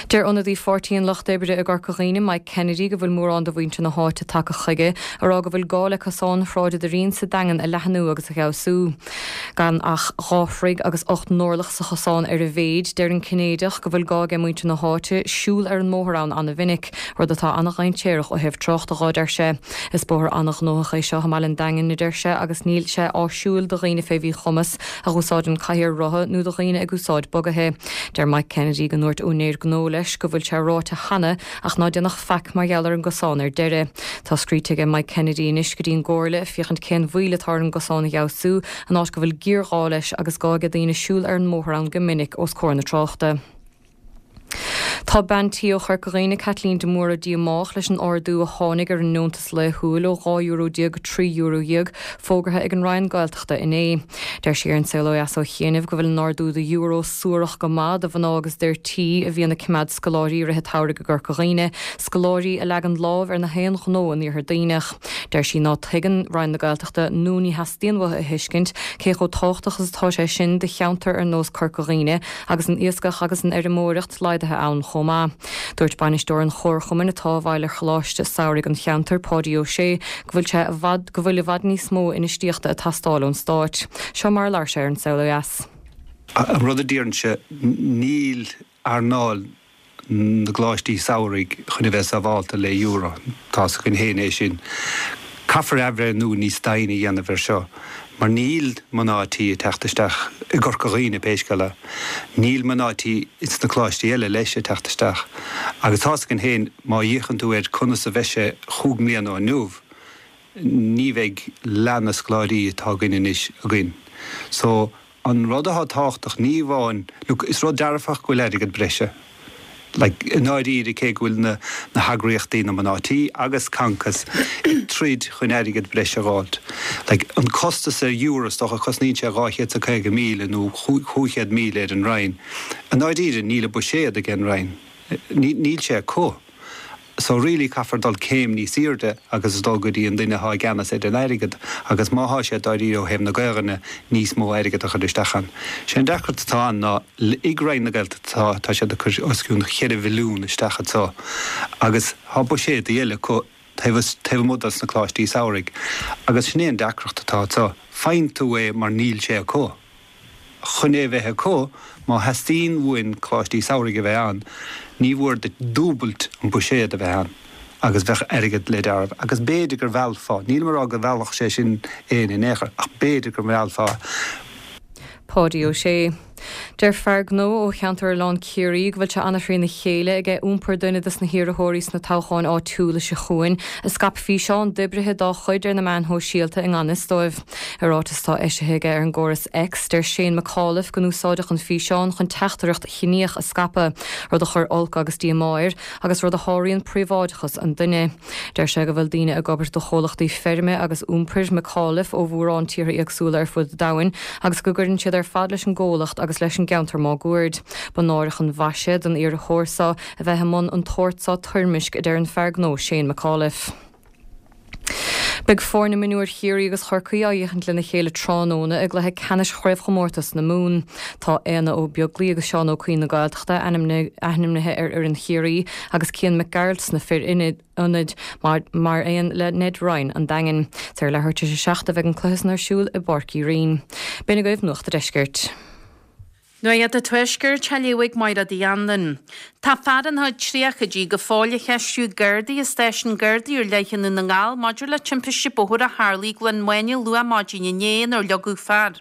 Speaker 6: Deir ionadaí Pháirtí an Lucht Oibre i gCorca Dhuibhne, Mike Kennedy, go bhfuil mórán de mhuintir na háite tagtha chuige a rá go bhfuil gá le cosán Shráid an Doirín sa Daingean a leathnú agus a fheabhsú. Gan ach 2 throigh agus 8 n-orlach sa chosán ar a mhéid, deir an Cinnéideach go bhfuil gá aige muintir na háite siúl ar an mbóthar ann ana-mhinic, rud atá ana-dhainséarach ó thaobh tráchta dho, deir sé. Is bóthar ana-ghnóthach é seo i mbaile an Daingin, a deir sé, agus níl sé áisiúil do dhaoine fé mhíchumas a dh'úsáideann cathaoir rotha nó do dhaoine ag úsáid bugaithe. Deir Mike Kennedy go ndúirt úinéir gnó leis go bhfuil sé ráite cheana ach ná déanfadh faic mar gheall ar an gcosán ar deireadh. Tá scríte aige Mike Kennedy anois go dtí an gComhairle ag féachaint cén mhoill atá ar an gcosán a fheabhsú in áit go bhfuil géarghá leis agus gá aige daoine siúl ar an mbóthar ann go minic os comhair na tráchta. Tá bean tí ó Chorca Dhuibhne, Caitlín de Mórdha díomách leis an ardú a tháinig ar an ndeontas laethúil ó €12 go €13 fógartha ag an Roinn Gaeltachta inné. Deir sí ar An Saol Ó Dheas ó chianaibh go bhfuil an ardú de euro suarach go maith do mhná agus d'fhir tí a bhíonn ag coimeád scoláirí i rith an tsamhraidh i gCorca Dhuibhne, scoláirí a leagann lámh ar na haon ghnó in Iarthar Duibhneach. Deir sí ná tuigeann Roinn na Gaeltachta nó ní theastaíonn uathu a thuiscint cé chomh tábhachtach is atá sé sin do cheantar ar nós Corca Dhuibhne agus an iascach agus an fheirmeoireacht laghdaithe ann chomh maith. Dúirt bainisteoir an chomharchumainn atá i bhfeighil ar choláiste samhraidh an cheantair, Páidí Ó Sé, go bhfuil sé i bhfad go bhfuil i bhfad níos mó infheistíochta ag teastáil ón Stáit. Seo mar a labhair sé ar An Saol Ó Dheas.
Speaker 8: An rud a deirimse, níl earnáil na gcoláistí samhraidh chun a bheith sábhálta le euro. Tá's againn féin é sin. Caithfear athbhreithniú níos doimhne a dhéanamh air seo mar níl mná tí ag teacht isteach i gCorca Dhuibhne pé scéal é. Níl mná tí ins na coláistí eile leis ag teacht isteach. Agus tá's againn féin má fhéachann tú ar conas a bheidh sé chúig mbliana ó inniu, ní bheidh leath na scoláirí atá againn anois againn. So, An rud atá tábhachtach, ní amháin, look, is rud dearfach go bhfuil airgead breise, like, i ndáiríre, cé go bhfuil na, na heagraíochtaí, na mná tí agus Concos ag troid chun airgead breise a dh'fháilt. Like, an costas ar euro, is dócha, cosnaíonn sé 250,000 nó 500,000 ar an Roinn. I ndáiríre, níl an buiséad ag an Roinn. Níl sé acu. So really caithfear dul céim níos aoirde agus dul go dtí an duine atá i gceannas ar an airgead agus má thá sé dáiríre ó thaobh na Gaelainne níos mó airgead a chur isteach ann. Sé an deacracht atá ann ná ag Roinn na Gaeltachta tá siad ag cur os cionn cheithre mhilliún isteach anso agus thá buiséadaí eile acu taobh taobh amuigh dos na coláistí samhraidh agus sin é an deacracht atá anso. Faigheann tú é mar níl sé acu. Chun é a bheith acu, má theastaíonn uainn coláistí samhraidh a bheith ann, ní mhór duit dúbailt an buiséad a bheith ann agus bheadh airgead le deáramh. Agus b'fhéidir gur mheallfá, nílim ag rá go mheallfadh sé sin éinne in aon chor, ach b'fhéidir go meallfá.
Speaker 6: Páidí Ó Sé. Deir fear gnó ó cheantar Oileán Ciarraí go bhfuil sé an-thrína chéile aige iompar duine dos na hiarrthóirí sna toghcháin áitiúla seo chugainn a scaip físeán d'oibrithe dá chuid ar na meáin shóisialta i ngan fhios dóibh. I ráiteas atá eisithe aige ar an gcóras X, deir Shane McAuliffe go n-úsáideadh an físeán chun teachtaireacht chiníoch a scaipeadh, rud a chuir olc agus díomá air agus rud a sháraíonn príobháideachas an duine. Deir sé go bhfuil daoine ag obair do chomhlachtaí feirme agus iompair McAuliffe ó mhórán tíortha éagsúla ar fud an domhain agus go gcuireann siad ar fad leis an gcomhlacht agus leis an gceantar máguaird. Ba náireach an mhaise don iarrthóir seo a bheith i mbun an tsórt seo toirmisc, a deir an fear gnó Shane McAuliffe. Beidh foirne mionúir Chiarraí agus Chorcaí á fhéachaint lena chéile tráthnóna i gcluiche ceannais Chraobhchomórtas na Mumhan. Tá Éanna Ó Beaglaoi agus Seán Ó Cuinn na Gaeltachta ainmnithe ar fhoireann Chiarraí agus Cian Mac Gearailt sna fir ionaid mar aon le Ned Ryan an Daingin. Is ar leathuair tar éis a 7 a bheidh an cluiche san ar siúl i bPáirc Uí Rinn. B'in agaibh Nuacht a' Deiscirt.
Speaker 9: Nuacht a' Tuaiscirt á léamh ag Máire Uí Anluain. Tá fear ina chuid tríochaidí go fóill á cheistiú ag Gardaí i Stáisiún Gardaí ar Leith i nDún na nGall maidir le timpiste bóthair a tharlaigh i gCluain Maine luath maidin inné inar leagadh fear.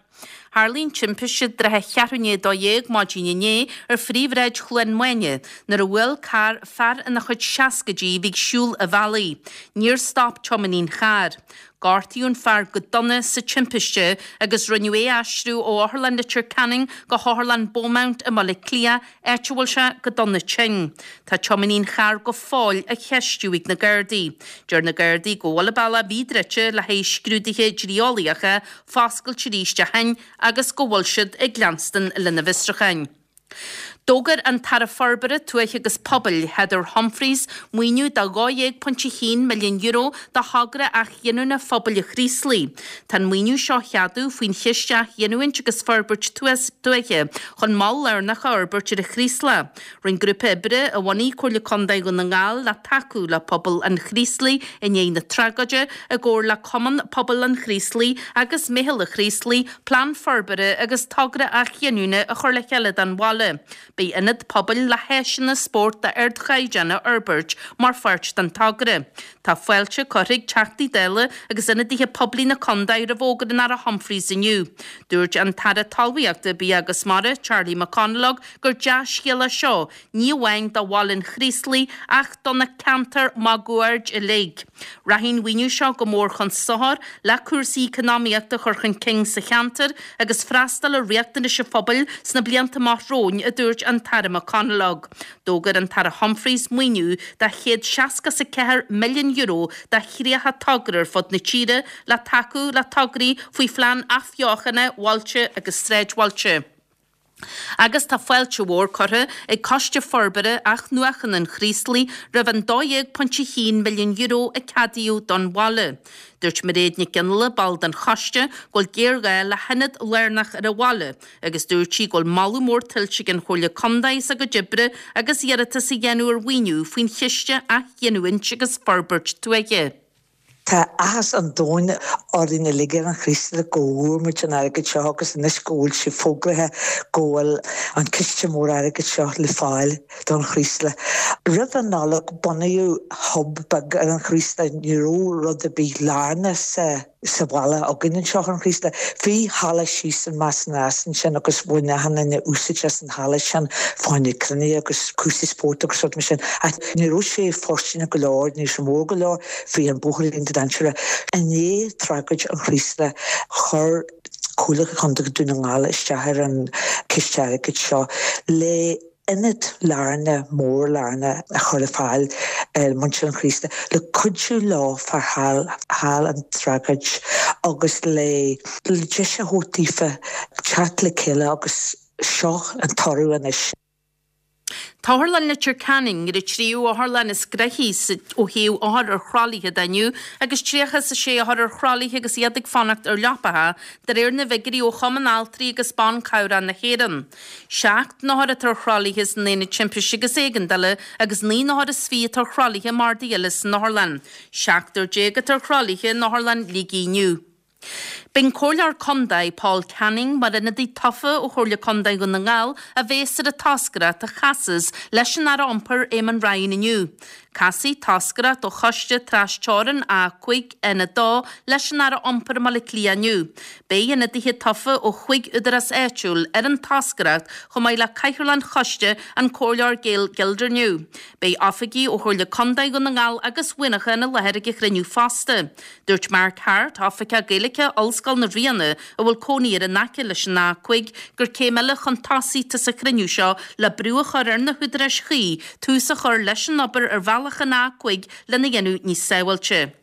Speaker 9: Tharlaigh an timpiste i dtrátha cheathrú i ndiaidh a 12 maidin inné ar phríomhshráid Chluain Maine nuair a bhuail carr fear ina chuid seascaidí a bhí ag siúl an bhealaigh. Níor stop tiománaí an chairr. Gortaíodh an fear go dona sa timpiste agus rinneadh é a aistriú ó Otharlann Leitir Ceanainn go hOtharlann Beaumont i mBaile Átha Cliath, áit a bhfuil sé go dona tinn. Tá tiománaí an chairr go fóill á cheistiú ag na Gardaí. Deir na Gardaí go bhfuil an bealach a bhí druidte le haghaidh scrúduithe dlí-eolaíocha foscailte arís ó shin agus go bhfuil siad ag leanstan lena bhfiosrúcháin. D'fhógair an tAire Forbartha Tuaithe agus Pobail, Heather Humphreys, maoiniú de €12.1 milliún do thogra athghiniúna Phobail an Chraoslaigh. Tá an maoiniú seo á cheadú faoin Chiste Athghiniúint agus Forbairt Tuaithe chun mol lárnach a fhorbairt ar an Chraoslach. Rinne grúpa oibre a bhunaigh Comhairle Contae Dhún na nGall le tacú le pobal an Chraoslaigh i ndiaidh na tragóide, i gcomhar le Cumann Pobail an Chraoslaigh agus Meitheal an Chraoslaigh, plean forbartha agus togra athghiniúna a chur le chéile don bhaile. Beidh ionad pobail le háiseanna spóirt d'ardchaighdeán á fhorbairt mar pháirt den togra. Tá fáilte curtha ag Teachtaí Dála agus ionadaithe poiblí na contae roimh fhógra an Aire Humphreys inniu. Dúirt an tAire Talmhaíochta, Bia agus Mara, Charlie McConalogue, gur dea-scéal é seo, ní amháin do bhaile an Chraoslaigh ach do na ceantair máguaird uilig. Rachaidh an mhaoiniú seo go mór chun sochair le cúrsaí eacnamaíochta a chur chun cinn sa cheantar agus freastal ar riachtanais an phobail sna blianta amach romhainn, a dúirt an tAire McConalogue. D'fhógair an tAire Humphreys maoiniú de €164 milliún do 30 togra ar fud na tíre le tacú le tograí faoi phlean athbheochana bhailte agus sráidbhailte. Agus tá fáilte mhór curtha ag Coiste Forbartha Athnuachana an Chraoslaigh roimh an €12.1 milliún a ceadaíodh don bhaile. Dúirt Mairéad Nic Fhionnghaile, ball den choiste, go bhfuil géarghá le hionad lárnach ar an bhaile agus dúirt sí go bhfuil moladh mór tuillte ag an Chomhairle Contae as a gcuid oibre agus iarratas a dhéanamh ar mhaoiniú faoin Chiste Athghiniúint agus Forbairt Tuaithe.
Speaker 10: Tá áthas an domhain orainn uilig ar an Chraoslach go bhfuair muid an airgead seo agus anois go bhfuil sé fógraithe go bhfuil an ciste mór airgid seo le fáil don Chraoslach. Roimh an Nollaig bunaíodh hub beag ar an Chraoslach, ní raibh rud ar bith lárnach sa sa bhaile againn anseo ar an Chraoslach. Bhí halla síos in Meas na Eas ansin agus bhain achan duine úsáid as an halla sin fá choinne cruinnithe agus cúrsaí spóirt agus rud mar sin ach ní raibh sé fóirsteanach go leor, ní raibh sé mór go leor. Bhí an bóthairín dainséarach. I ndiaidh tragóid an Chraoslaigh, chuir Comhairle Contae Dhún na nGall isteach ar an chiste airgid seo le ionad lárnach, mór lárnach a chur ar fáil ar muintir an Chraoslaigh le cuidiú leo fá thall an tragóid agus le deis a thabhairt daofa teacht le chéile agus seo an toradh anois.
Speaker 9: Tá Otharlann Leitir Ceanainn ar an tríú otharlann is gnoithí ó thaobh othar ar thralaithe de inniu agus 36 othar ar thralaithe agus iad ag fanacht ar leapacha, de réir na bhfigiúirí ó Chumann Altraí agus Ban Cabhrach na hÉireann. 7 n-othar atá ar thralaithe san Aonad Timpiste agus Éigeandála agus 19 n-othar atá ar thralaithe mardaí eile san otharlann. 17 atá ar thralaithe in Otharlann Shligigh inniu. Beidh an Comhairleoir Contae, Paul Canning, mar ionadaí tofa ó Chomhairle Contae Dhún na nGall a bhéas ar an toscaireacht a chasas leis an Aire Iompair Eamon Ryan inniu. Casfaidh toscaireacht ó Choiste Tras-Teorann A5 N2 leis an Aire Iompair i mBaile Átha Cliath inniu. Beidh ionadaithe tofa ó chúig údarás áitiúil ar an toscaireacht chomh maith le Cathaoirleach an Choiste, an Comhairleoir Gail Gildernew. Beidh oifigigh ó Chomhairle Contae Dhún na nGall agus Mhuineacháin i láthair ag an chruinniú fosta. Dúirt Mark Harte, Oifigeach Gaeilge Ollscoil na Ríona, a bhfuil cónaí air in aice leis an A5, gur céim eile chun tosaigh atá sa chruinniú seo le brú a chur ar na húdaráis chuí tús a chur leis an obair ar bhealach an A5 lena dhéanamh níos sábháilte.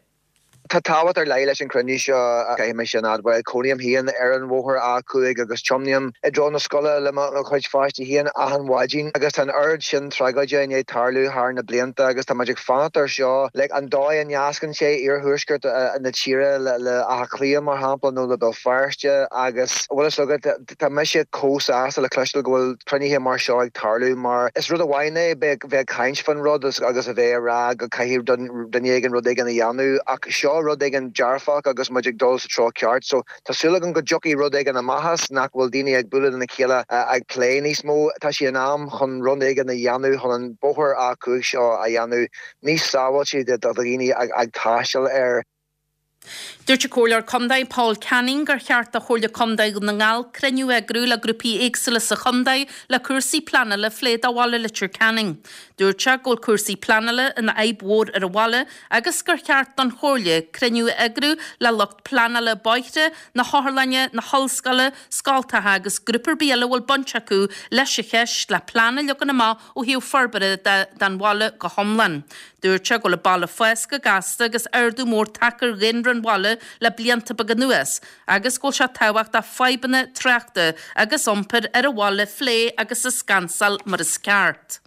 Speaker 11: Tá tábhacht ar leith leis an chruinniú seo, caithfidh mé sin a admháil. Cónaím féin ar an bhóthar A5 agus tiomnaím i dtreo na scoile le mo chuid pháistí féin achan mhaidin agus tá an oiread sin tragóide i ndiaidh tarlú thar na blianta agus tá muid ag fanacht air seo. Like, an dóigh a nascann sé iarthuaisceart na tíre le Áth Cliath, mar shampla, nó le Béal Feirste agus, bhfuil fhios agat, tá mise chomh sásta le cloisteáil go bhfuil cruinnithe mar seo ag tarlú mar is rud amháin é bheith ag caint fán rud agus a bheith ag rá go caithfidh duine éigin rud éigin a dhéanamh ach seo. Seo rud éigin dearfach agus muid ag dul sa treo ceart. So tá súil agam go dtiocfaidh rud éigin amach as, nach bhfuil daoine ag bualadh lena chéile ag plé níos mó. Tá sé in am chun rud éigin a dhéanamh chun an bóthar A5 seo a dhéanamh níos sábháilte do dhaoine ag taisteal air.
Speaker 9: Dúirt an Comhairleoir Contae Paul Canning gur cheart do Chomhairle Contae Dhún na nGall cruinniú a eagrú le grúpaí éagsúla sa chontae le cúrsaí pleanála a phlé do bhaile Leitir Ceanainn. Dúirt sé go bhfuil cúrsaí pleanála ina fhadhb mhór ar an bhaile agus gur cheart don Chomhairle cruinniú a eagrú le lucht pleanála bóithre, na hotharlainne, na hollscoile, scoltacha agus grúpa ar bith eile a bhfuil baint acu leis an cheist le plean a leagan amach ó thaobh forbartha de don bhaile go hiomlán. Dúirt sé go bhfuil an baile ag fás go gasta agus ardú mór tagtha ar dhaonra an bhaile le blianta beaga anuas agus go bhfuil sé tábhachtach fadhbanna tráchta agus iompair ar an bhaile a phlé agus a scansáil mar is ceart.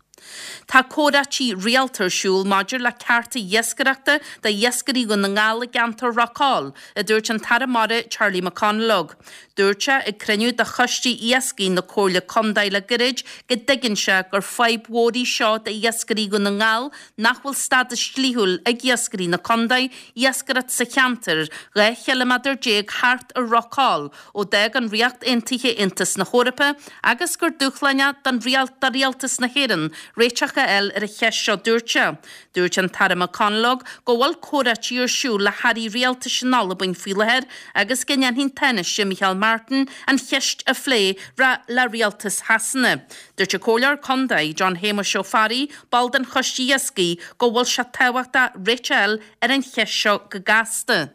Speaker 9: Tá comhráití rialta ar siúl maidir le cearta iascaireachta d'iascairí Dhún na nGall i gceantar Ráth Cóil, a dúirt an tAire Mara Charlie McConalogue. Dúirt sé ag cruinniú de Choiste Iascaigh na Comhairle Contae le gairid go dtuigeann sé gur fadhb mhór í seo d'iascairí Dhún na nGall nach bhfuil stádas dlíthiúil ag iascairí na contae iascaireacht sa cheantar 12 chiliméadar thart ar Ráth Cóil ó d'fhág an Ríocht Aontaithe Aontas na hEorpa agus gur dúshlán é don do Rialtas na hÉireann réiteach a fháil ar an cheist seo dúirt sé. Dúirt an tAire McConalogue go bhfuil comhráití ar siúl le hairí rialtais in Albain faoi láthair agus go ndéanfaidh an Tánaiste Micheál Martin an cheist a phlé le rialtas Shasana. Dúirt an Comhairleoir Contae, John Shéamuis Ó Fearraigh, ball den Choiste Iascaigh, go bhfuil sé tábhachtach réiteach a fháil ar an cheist seo go gasta.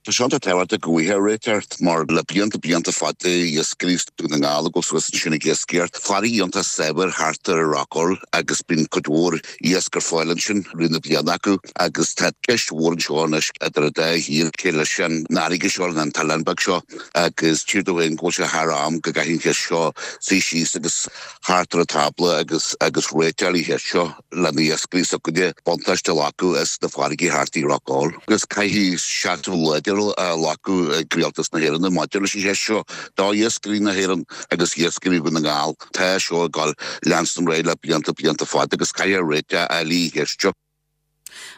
Speaker 12: Tá sé iontach tábhachtach go bhfaighfear réiteach mar le blianta, blianta fada iascairí Dún na nGall ag dul suas ansin ag iascaireacht. Farraige iontach saibhir thart ar Ráth Cóil agus bíonn cuid mhór iasc ar fáil ansin i rith na bliana acu agus tá ceist mhór anseo anois idir an dá thír cé leis an fharraige seo, an t-oileán beag seo agus tchítear domh féin go bhfuil sé thar am go gcaithfidh an cheist seo suí síos agus thart ar an tábla agus agus réiteach ar an cheist seo. le na iascairí s'againne buntáiste a ghlacadh as na farraigí thart i Ráth Cóil. Agus caithfidh seasamh láidir a ghlacadh ag Rialtas na hÉireann maidir leis an cheist seo do iascairí na hÉireann agus iascairí Dhún na nGall. Tá seo ag dul leanstan ar aghaidh le blianta, blianta fada agus caithfear réiteach a fháil ar an cheist seo.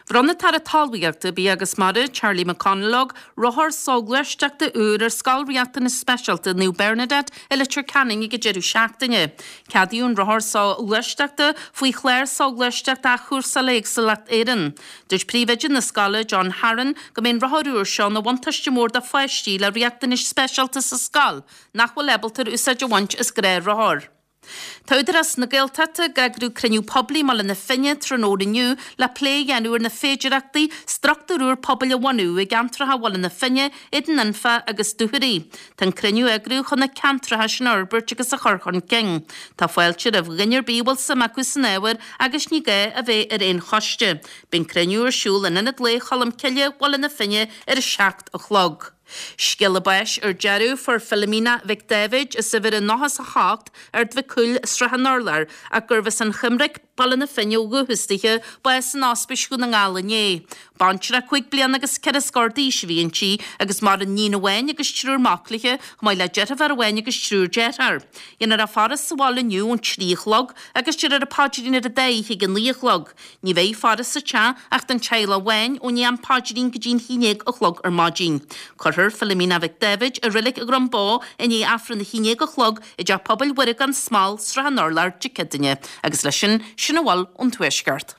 Speaker 9: Bhronn an tAire Talmhaíochta, Bia agus Mara, Charlie McConalogue, rothar soghluaisteachta úr ar Scoil Riachtanas Speisialta Naomh Bernadette i Leitir Ceanainn ag an deireadh seachtaine. Ceadaíodh an rothar soghluaisteachta faoi Chlár Soghluaisteachta Athchúrsála Éagsúlacht Éireann. Dúirt príomhoide na scoile, John Harron, go mbeidh an rothar úr seo ina bhuntáiste mór do pháistí le riachtanais speisialta sa scoil nach bhfuil ábalta ar úsáid a bhaint as gnáthrothar. Tá Údarás na Gaeltachta ag eagrú cruinniú poiblí i mBaile na Finne tráthnóna inniu le plé a dhéanamh ar na féidearthachtaí struchtúr úr pobail a bhunú i gceantracha Bhaile na Finne, Éadan Anfa agus Dúchoraidh. Tá an cruinniú á eagrú chun na ceantracha sin a fhorbairt agus a chur chun cinn. Tá fáilte roimh dhuine ar bith a bhfuil suim acu san ábhar agus ní gá a bheith ar aon choiste. Beidh an cruinniú ar siúl in Ionad Lae Cholm Cille, Baile na Finne ar a 7 a chlog. Scéala báis ar deireadh, fuair Philomena Mhic Dáibhid, as uimhir a 98, Ard Mhic Cumhaill, Srath an Urláir, ach gurbh as an Choimric, Baile na Finne ó dhúchas dithe, bás in Ospís Dhún na nGall inné. Baintreach 5 bliana agus ceithre scór d'aois a bhí inti agus maireann níon amháin agus triúr mac léi, chomh maith le deirfiúr amháin agus triúr dearthár. Dhéanfar a faire sa bhaile inniu ón 3 a chlog agus déarfar an paidrín ar an dá oíche ag a 9 a chlog. Ní bheidh faire sa teach ach don teaghlach amháin ó ndiaidh an paidrín go dtí an 11 a chlog ar maidin. Cuirfear Philomena Mhic Dáibhid i Reilig Dhrom Bó i ndiaidh Aifreann a 11 a chlog i dTeach Pobail Mhuire gan Smál, Srath an Urláir, Dé Céadaoine. Agus leis sin, sin a bhfuil ón Tuaisceart.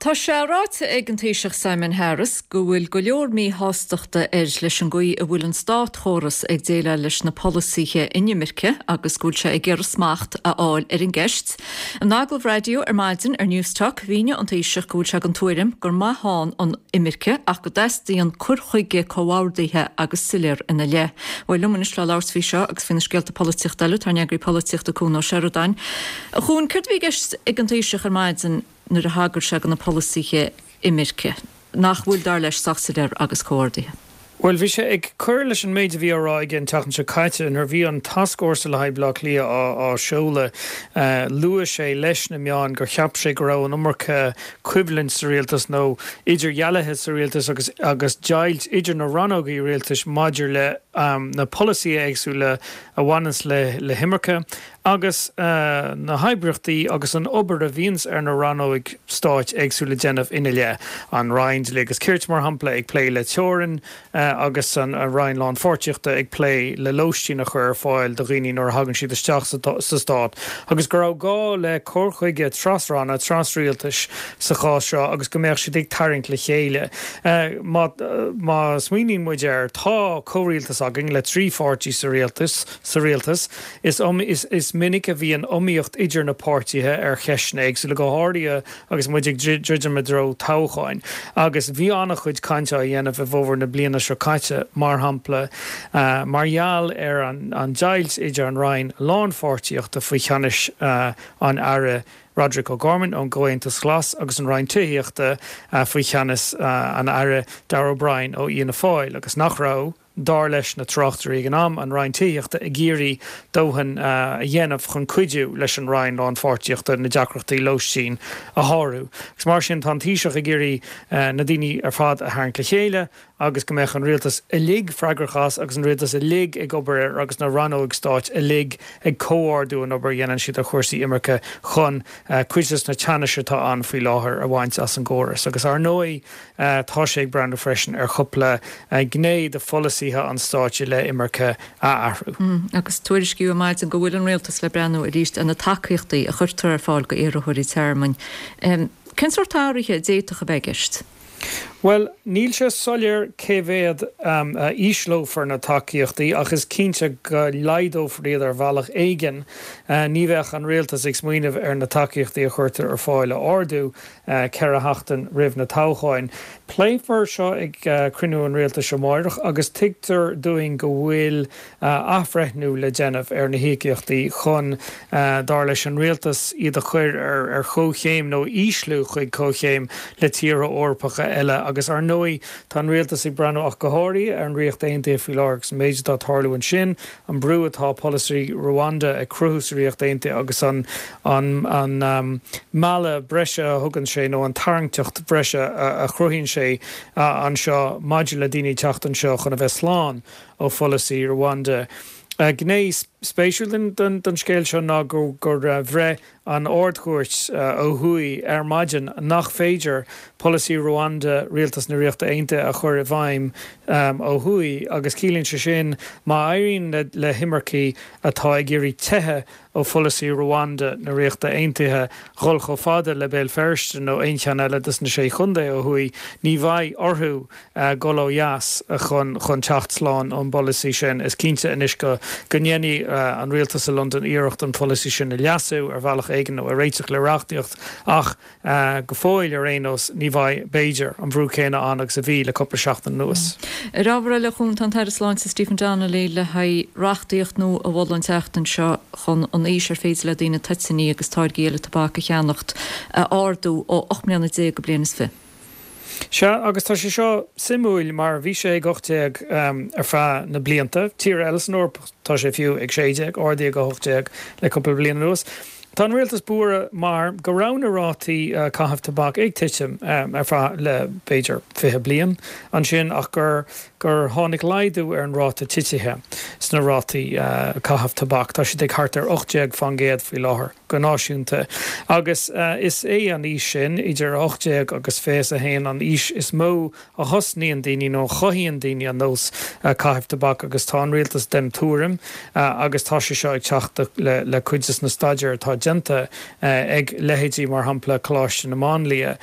Speaker 1: Tá sé ráite ag an Taoiseach Simon Harris go bhfuil go leor míshástachta air leis an gcaoi a bhfuil an státchóras ag déileáil leis na polasaithe inimirce agus go bhfuil sé ag iarraidh smacht a fháil ar an gceist. In agallamh raidió ar maidin ar Newstalk, mhínigh an Taoiseach go bhfuil sé den tuairim gur maith ann an imirce ach go dteastaíonn cur chuige comhordaithe agus soiléir ina leith. Bhuel, liom anois le labhairt faoi seo agus faoi na scéalta polaitíochta eile, tá ár n-eagraí polaitíochta Cuan Ó Seireadáin. A Chuain, céard a bhí i gceist ag an Taoiseach ar maidin? nuair a thagair sé do na polasaithe imirce, nach bhfuil, dar leis, sách soiléir agus comhordaithe.
Speaker 13: Bhuel, bhí sé ag cur leis an méid a bhí á rá aige an tseachtain seo caite. Nuair a bhí an tascfhórsa le haghaidh Bhaile Átha Cliath á seoladh, luaigh sé leis na meáin gur cheap sé go raibh an iomarca coimhlint sa rialtas nó idirdhealaithe sa rialtas agus agus deighilt idir na rannógaí rialtais maidir le na polasaithe éagsúla a bhaineanns le himirce. Agus na hoibríochtaí agus an obair a bhíonns ar na rannóig stáit éagsúla déanamh ina leith, an Roinn Dlí agus Cirt, mar shampla, ag plé le teorainn agus an Roinn Lánpháirtíochta ag plé le lóistín a chur ar fáil do dhaoine nuair a thagann siad isteach sa stát, agus go raibh gá le cur chuige tras-ranna, tras-rialtais sa chás seo agus go mbeadh siad ag tarraingt le chéile. Má smaoiníonn muid air, tá comhrialtas againn le 3 pháirtí sa rialtas, sa rialtas. Is is minic a bhíonn iomaíocht idir na páirtithe ar cheisteanna éagsúla, go háirithe agus muid ag druidim i dtreo toghcháin. Agus bhí an-chuid cainte á dhéanamh i bhfómhar na bliana seo caite, mar shampla, mar gheall ar an deighilt idir an Roinn Lánpháirtíochta faoi cheannais an Aire Roderic O'Gorman ón gComhaontas Glas agus an Roinn Tithíochta faoi cheannas an Aire Darragh O'Brien ó Fhianna Fáil, agus nach raibh. Dar leis na tráchtairí ag an am, an Roinn Tithíochta ag iarraidh dóthain a dhéanamh chun cuidiú leis an Roinn Lánpháirtíochta na deacrachtaí lóistín a shárú. Agus mar sin, tá an Taoiseach ag iarraidh na daoine ar fad a tharraingt le chéile agus go mbeadh an rialtas uilig freagrach as agus an rialtas uilig ag obair air agus na rannóig stáit uilig ag comhordú an obair a dhéanann siad ar chúrsaí imirce chun cuid des na teannais atá ann faoi láthair a bhaint as an gcóras. Agus ar ndóigh, Tá sé ag breathnú freisin ar chúpla gné de pholasaithe an stáit i leith imirce a athrú.
Speaker 1: Agus tuairiscíodh ar maidin go bhfuil an rialtas le breathnú arís ar na tacaíochtaí a chuirtear ar fáil go iarrthóirí tearmainn. Cén sórt athruithe a d'fhéadfadh a bheith i gceist?
Speaker 13: Bhuel, níl sé soiléir cé mhéad a ísleofar na tacaíochtaí ach is cinnte go laghdófar iad ar bhealach éigin. Ní bheadh an rialtas ag smaoineamh ar na tacaíochtaí a chuirtear ar fáil a ardú. 4 sheachtain roimh na toghcháin. Pléifear seo ag cruinniú an rialtais amáireach agus tuigtear dúinn go bhfuil athbhreithniú le déanamh ar na híocaíochtaí chun, dar leis an rialtas, iad a chur ar chomhchéim nó ísliú chuig comhchéim le tíortha Eorpacha eile agus ar ndóigh tá an rialtas ag breathnú ach go háirithe ar an Ríocht Aontaithe faoi láthair agus an méid atá ag tarlú ansin. an brú atá polasaí Rwanda ag cruthú sa Ríocht Aontaithe agus an an mealladh breise a thugann sé nó an tarraingteacht bhreise a chruthaíonn sé anseo maidir le daoine teacht anseo chun a bheith slán ó pholasaí Rwanda. Gné spéisiúil den scéal seo ná gur bhreith an Ard-Chúirt ó thuaidh ar maidin nach féidir polasaí Rwanda Rialtas na Ríochta Aontaithe a chur i bhfeidhm ó thuaidh agus ciallaíonn sé sin má éiríonn le himircigh atá ag iarraidh teitheadh ó pholasaí Rwanda na Ríochta Aontaithe dhul chomh fada le Béal Feirste nó aon cheann eile des na sé chontae ó thuaidh ní bheidh orthu dhul ó dheas chun chun teacht slán ón bpolasaí sin. Is cinnte anois go go ndéanfaidh an rialtas i Londain iarracht an polasaí sin a leasú ar bhealach éigin nó a réiteach le reachtaíocht ach go fóill ar aon nós ní bheidh, b'fhéidir, an brú céanna ann agus a bhí le cúpla seachtain anuas.
Speaker 1: Ar ábhar eile, a Chuain, tá an tAire Sláinte Stephen Donnelly le haghaidh reachtaíocht nua a mholadh an tseachtain seo chun an aois ar féidir le daoine toitíní agus táirgí eile tobac a cheannacht a ardú ó 18 mbliana go bliain is fiche.
Speaker 13: Sea, agus tá sé seo suimiúil mar bhí sé ag 18 ar feadh na blianta. Tíortha eile san Eoraip tá sé fiú ag 16, ardaíodh go 18 le cúpla bliain anuas. Tá an rialtas buartha mar go raibh na rátaí caitheamh tobac ag titim ar feadh le b'fhéidir 20 bliain ansin ach gur gur tháinig laghdú ar an ráta titithe sna rátaí caitheamh tobac. Tá siad ag thart ar 18 fán gcéad faoi láthair. go náisiúnta, agus is é an aois sin, idir 18 agus 21, an aois is mó a thosnaíonn daoine nó a chothaíonn daoine an nós caitheamh tobac agus tá an rialtas den tuairim, agus tá sé seo ag teacht le cuid de na staidéir atá déanta ag leithéidí mar shampla Coláiste na Máinlia,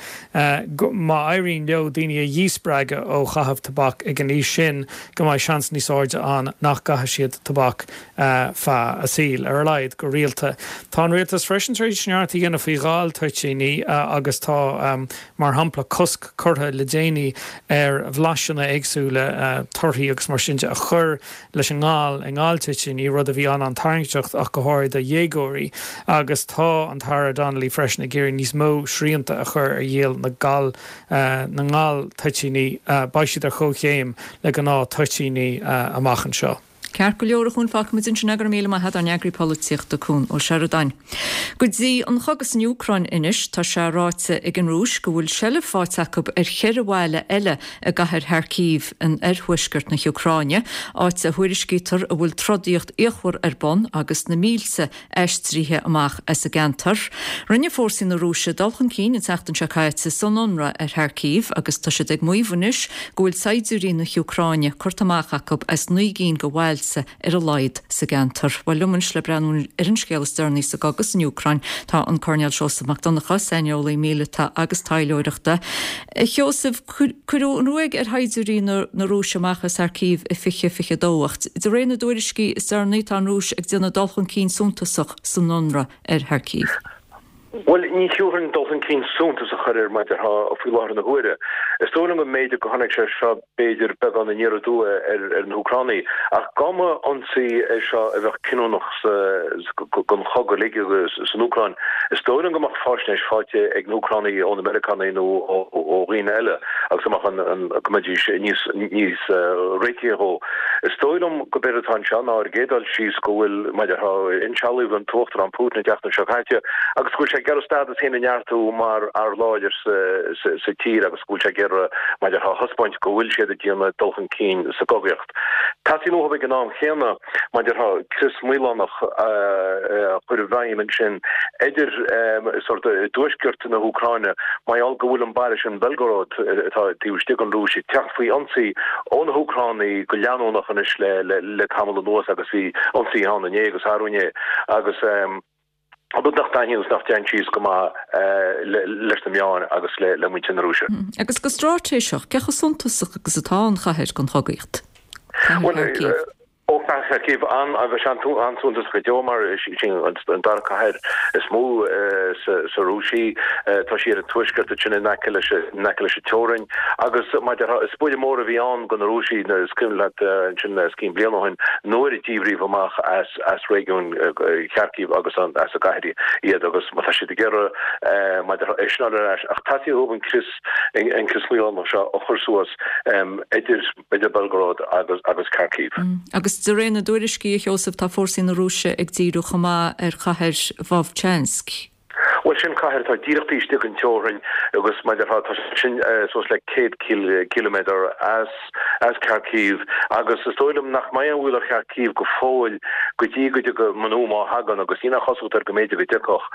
Speaker 13: go má éiríonn leo daoine a dhíspreagadh ó chaitheamh tobac ag an aois sin, go mbeidh seans níos airde ann nach gcaithfidh siad tobac. feadh a saoil, ar a laghad, go rialta. Tá an rialtas freisin tar éis neart a dhéanamh faoi ghal-toitíní agus tá, mar shampla, cosc curtha le déanaí ar bhlaiseanna éagsúla, torthaí agus mar sin de, a chur leis an ngal i ngal-toitíní, rud a bhí an-an-tarraingteach ach go háirithe do dhéagóirí. Agus tá an tAire Donnelly freisin ag iarraidh níos mó srianta a chur ar dhíol na gal na ngal-toitíní. Beidh siad ar chomhchéim le gnáth-toitíní amach anseo.
Speaker 1: Ceart go leor a Chuain, fágfaimid ansin é, go raibh míle maith agat, ár n-eagraí polaitíochta Cuan Ó Seireadáin. Go dtí an chogadh san Úcráin anois, tá sé ráite ag an Rúis go bhfuil seilbh faighte acu ar cheithre bhaile eile i gcathair Kharkiv in oirthuaisceart na hÚcráine, áit a thuairiscítear a bhfuil trodaíocht fhíochmhar ar bun agus na mílte aistrithe amach as an gceantar. Rinne fórsaí na Rúise dul chun cinn an tseachtain seo caite san ionradh ar Kharkiv agus tá siad ag maíomh anois go bhfuil saighdiúirí na hÚcráine curtha amach acu as 9 gcinn de bhailte ar a laghad sa gceantar. Bhuel, liom anois le breathnú ar an scéal is deireanaí sa gcogadh san Úcráin tá an Coirnéal Seosamh Mac Donncha, saineolaí míleata agus taidhleoireachta. A Sheosaimh, cuireadh an ruaig ar shaighdiúirí na Rúise amach as Kharkiv i 2022 ach de réir na dtuairiscí is deireanaí tá an Rúis ag déanamh dul chun cinn suntasach san ionradh ar Kharkiv.
Speaker 14: Bhuel, ní thiúrfainn dul chun cinn suntasach air mar a déarfá faoi láthair na huaire. Is dóigh liom go mb'fhéidir go tháinig sé seo b'fhéidir beagán aniar aduaidh ar na hÚcránaigh, ach dá mba ionsaí é seo a bheadh cinniúnach don chogadh uilig san Úcráin, is dóigh liom go mbeadh faisnéis faighte ag na hÚcránaigh ó na Meiriceánaigh nó ó dhaoine eile agus go mbeadh an, go mbeidís níos, níos réitithe dhó. Is dóigh liom gurb éard atá anseo ná ar an gcéad dul síos go bhfuil, mar a déarfá, insealbhaíodh an tUachtarán Putin an tseachtain seo caite agus go bhfuil sé ag iarraidh a stádas féin a neartú mar fhear láidir sa tír agus go bhfuil sé ag iarraidh, mar a déarfá, a thaispeáint go bhfuil siad ag déanamh dul chun cinn sa gcogaíocht. Teastaíonn uathu ag an am chéanna, mar a déarfá, crios maolánach a chur i bhfeidhm ansin idir sórt i dtuaisceart na hÚcráine mar gheall go bhfuil an baile sin Belgorod atá taobh istigh den Rúis ag teacht faoi ionsaí ó na hÚcránaigh go leanúnach anois le tamall anuas agus bhí ionsaithe ann inné agus arú inné agus rud nach dtaitníonn agus nach dtéann síos go maith leis na meáin agus le muintir na Rúise.
Speaker 1: Agus go straitéiseach, cé chomh suntasach agus atá an chathair don chogaíocht? Cathair
Speaker 14: Kharkiv. Ó cathair Kharkiv an, bheadh sé an-suntasach go deo mar is í an dara cathair is mó sa Rúis í. Tá sí ar an tuaisceart ansin in aice leis in aice leis an teorainn agus mar a déarfá is buille mór a bhí ann do na Rúisigh, is cuimhin leat ansin os cionn bliain ó shin nuair a díbríodh amach as as réigiún Kharkiv agus as an gcathair iad agus má tá siad ag iarraidh mar a déarfá é sin a fháil ar ais ach teastaíonn uathu an crios an crios maolánach seo a chur suas idir idir Belgorod agus agus Kharkiv.
Speaker 1: Agus de réir na dtuairiscí, a Sheosaimh, tá fórsaí na Rúise ag díriú chomh maith ar chathair Vovchansk.
Speaker 14: Bhuel, sin cathair atá díreach taobh istigh den teorainn agus mar a déarfá, tá sin suas le 100 ciliméadar as as Kharkiv agus is dóigh liom nach mbeidh aon bhaol ar Kharkiv go fóill go dtí go dtiocfaidh, nó má thagann, agus níl aon chosúlacht air go mb'fhéidir go dtiocfadh,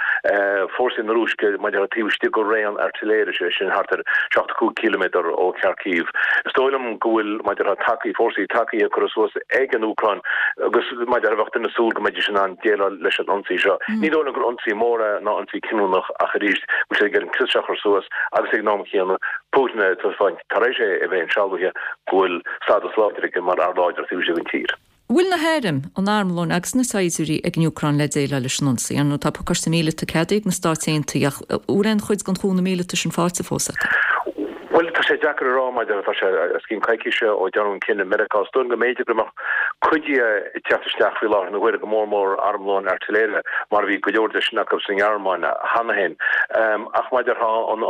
Speaker 14: fórsaí na Rúise mar a déarfá taobh istigh de raon airtléire, sé sin thart ar 75 ciliméadar ó Kharkiv. Is dóigh liom go bhfuil, mar a déarfá, tacaí, fórsaí tacaithe curtha suas ag an Úcráin agus mar a déarfá bheadh duine ag súil go mbeidís in ann déileáil leis an ionsaí seo. Ní dóigh liom gur ionsaí mór é ná ionsaí cinniúnach ach arís go bhfuil siad ag iarraidh an crios seo a chur suas agus ag an am chéanna Putin a thaispeáint tar éis é a bheith insealbhaithe go bhfuil stádas láidir aige mar fhear láidir taobh istigh den tír.
Speaker 1: An bhfuil na hairm, an armlón agus na saighdiúirí ag an Úcráin le déileáil leis an ionsaí? Ar ndóigh tá pacáiste míleata ceadaithe ag na Stáit Aontaithe ach an bhfuil aon chuid den chúnamh míleata sin faighte fós acu?
Speaker 14: Bhuel, tá sé deacair a rá mar tá sé os cionn coicíse ó dearnadh an cinneadh i Meiriceá. Is dóigh liom go mb'fhéidir go mbeadh cuid de ag teacht isteach faoi láthair na huaire, go mór mór armlón airtiléire, mar a bhí go leor de sin acu sa nGearmáin cheana féin. Ach mar a déarfá an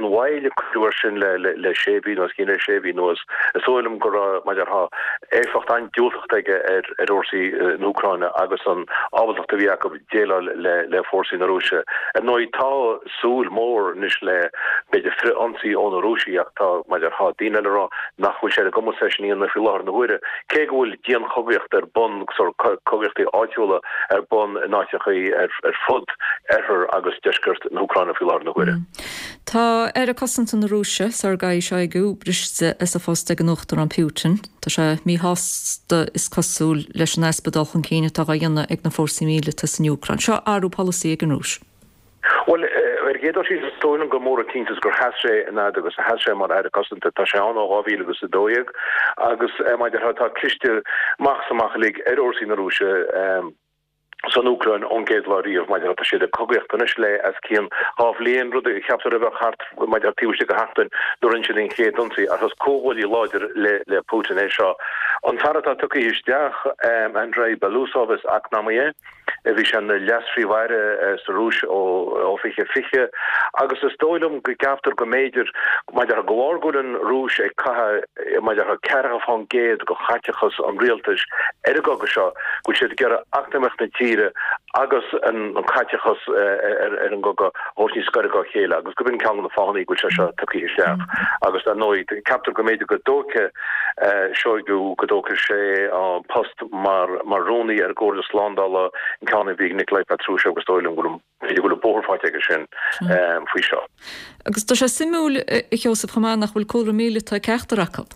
Speaker 14: mhoill a cuireadh air sin le sé mhí nó os cionn sé mhí anuas, is dóigh liom go raibh, mar a déarfá, éifeacht an-diúltach aige ar fhórsaí na hÚcráine agus an ábaltacht a bhí acu déileáil le fórsaí na Rúise. Ar ndóigh, tá. súil mhór anois le, b'fhéidir, frith-ionsaí ó na Rúisigh ach tá, mar a déarfá, daoine eile ag rá nach bhfuil sé ar a gcumas é sin a dhéanamh faoi láthair na huaire, cé go bhfuil dianchogaíocht ar bun, sórt cogaíochtaí áitiúla ar bun in áiteachaí ar fud oirthear agus deisceart na hÚcráine faoi láthair na huaire.
Speaker 1: Tá Aire Cosanta na Rúise, Sergei Shoigu, briste as a phost ag an Uachtarán Putin. Tá sé míshásta, is cosúil, leis an easpa dul chun cinn atá á dhéanamh ag na fórsaí míleata san Úcráin. Seo athrú polasaí ag an Rúis.
Speaker 14: Bhuel, ar an gcéad dul síos, is dóigh liom gur mór an t-iontas gur sheas sé an fhad agus a sheas sé mar Aire Cosanta. Tá sé ann ó 2012 agus, mar a déarfá, tá cliste amach is amach uilig ar fhórsaí na Rúise san Úcráin ón gcéad lá riamh. Mar a déarfá, tá siad ag cogaíocht anois le os cionn dhá bhliain, rud a cheaptar a bheadh thart, mar a déarfá, taobh istigh de sheachtain nuair a rinne siad an chéad ionsaí. Ach is comhghuaillí láidir le Putin é seo. An fear atá tugtha isteach, Andrei Belousov, is eacnamaí é. Bhí sé ina Leas-Phríomh-Aire sa Rúis ó 2020 agus is dóigh liom go gceaptar go mb'fhéidir, mar a déarfá, de bharr go bhfuil an Rúis ag caitheamh, mar a déarfá, 40% de chaiteachas an rialtais ar an gcogadh seo, go bhfuil siad ag iarraidh eacnamaíocht na tíre agus an caiteachas ar an gcogadh a thabhairt níos gaire dá chéile agus gurb in ceann de na fáthanna go bhfuil sé seo tugtha isteach. Agus dar ndóigh, ceaptar go mb'fhéidir go dtógfaidh Shoigu, go dtógfaidh sé an post mar rúnaí ar an gComhairle Slándála, an ceann a bhí ag Nikolai Patrushev agus is dóigh liom go bhfuil, b'fhéidir go bhfuil an bóthar faighte aige sin faoi seo.
Speaker 1: Agus tá sé suimiúil, a Sheosaimh, chomh maith nach bhfuil cúlra míleata ag ceachtar acu.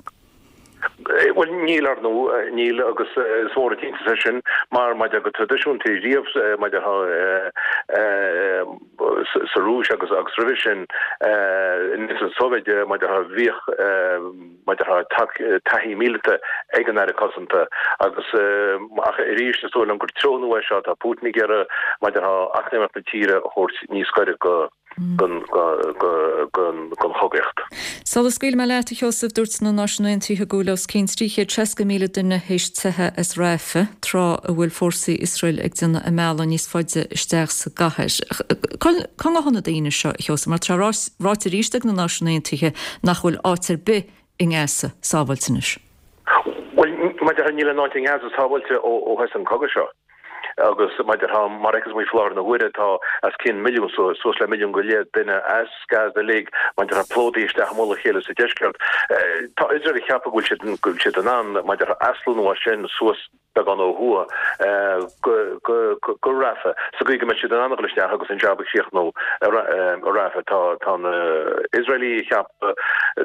Speaker 14: Bhuel, níl, ar ndóigh, níl agus is mór an t-iontas é sin mar maidir go traidisiúnta riamh maidir sa Rúis agus roimhe sin in Aontas na Sóivéide maidir bhíodh mar a déarfá taithí míleata ag an Aire Cosanta agus ach arís is dóigh liom gur treo nua é seo, tá Putin ag iarraidh mar a déarfá eacnamaíocht na tíre a thabhairt níos gaire go don chogaíocht.
Speaker 1: Sula scaoilfidh mé leat, a Sheosaimh, dúirt na Náisiúin Aontaithe go bhfuil os cionn 360,000 duine théis teitheadh as Rafah, tráth a bhfuil fórsaí Iosrael ag déanamh a mbealaigh níos faide isteach sa gcathair. Cá ngabhann na daoine seo, a Sheosaimh, mar tá ráite arís ag na Náisiúin Aontaithe nach bhfuil áit ar bith i nGaza sábháilte anois.
Speaker 14: Bhuel, mar a déarfá, níl aon áit i nGaza sábháilte ó thosaigh an cogadh seo. Agus mar a déarfá, mar a fheiceas muid faoi láthair na huaire, tá os cionn milliún, suas le milliún go leith duine as Gaza uilig, mar a déarfá, plódaithe isteach i mullach a chéile sa deisceart. Tá Iosrael ag ceapadh go bhfuil siad, go bhfuil siad in ann, mar a déarfá, aslonnú as sin suas beagán ó thuaidh go Rafah, sa gcaoi go mbeidh siad in ann a dhul isteach agus an jab a chríochnú i Rafah. Tá na hIosraelaigh ag ceapadh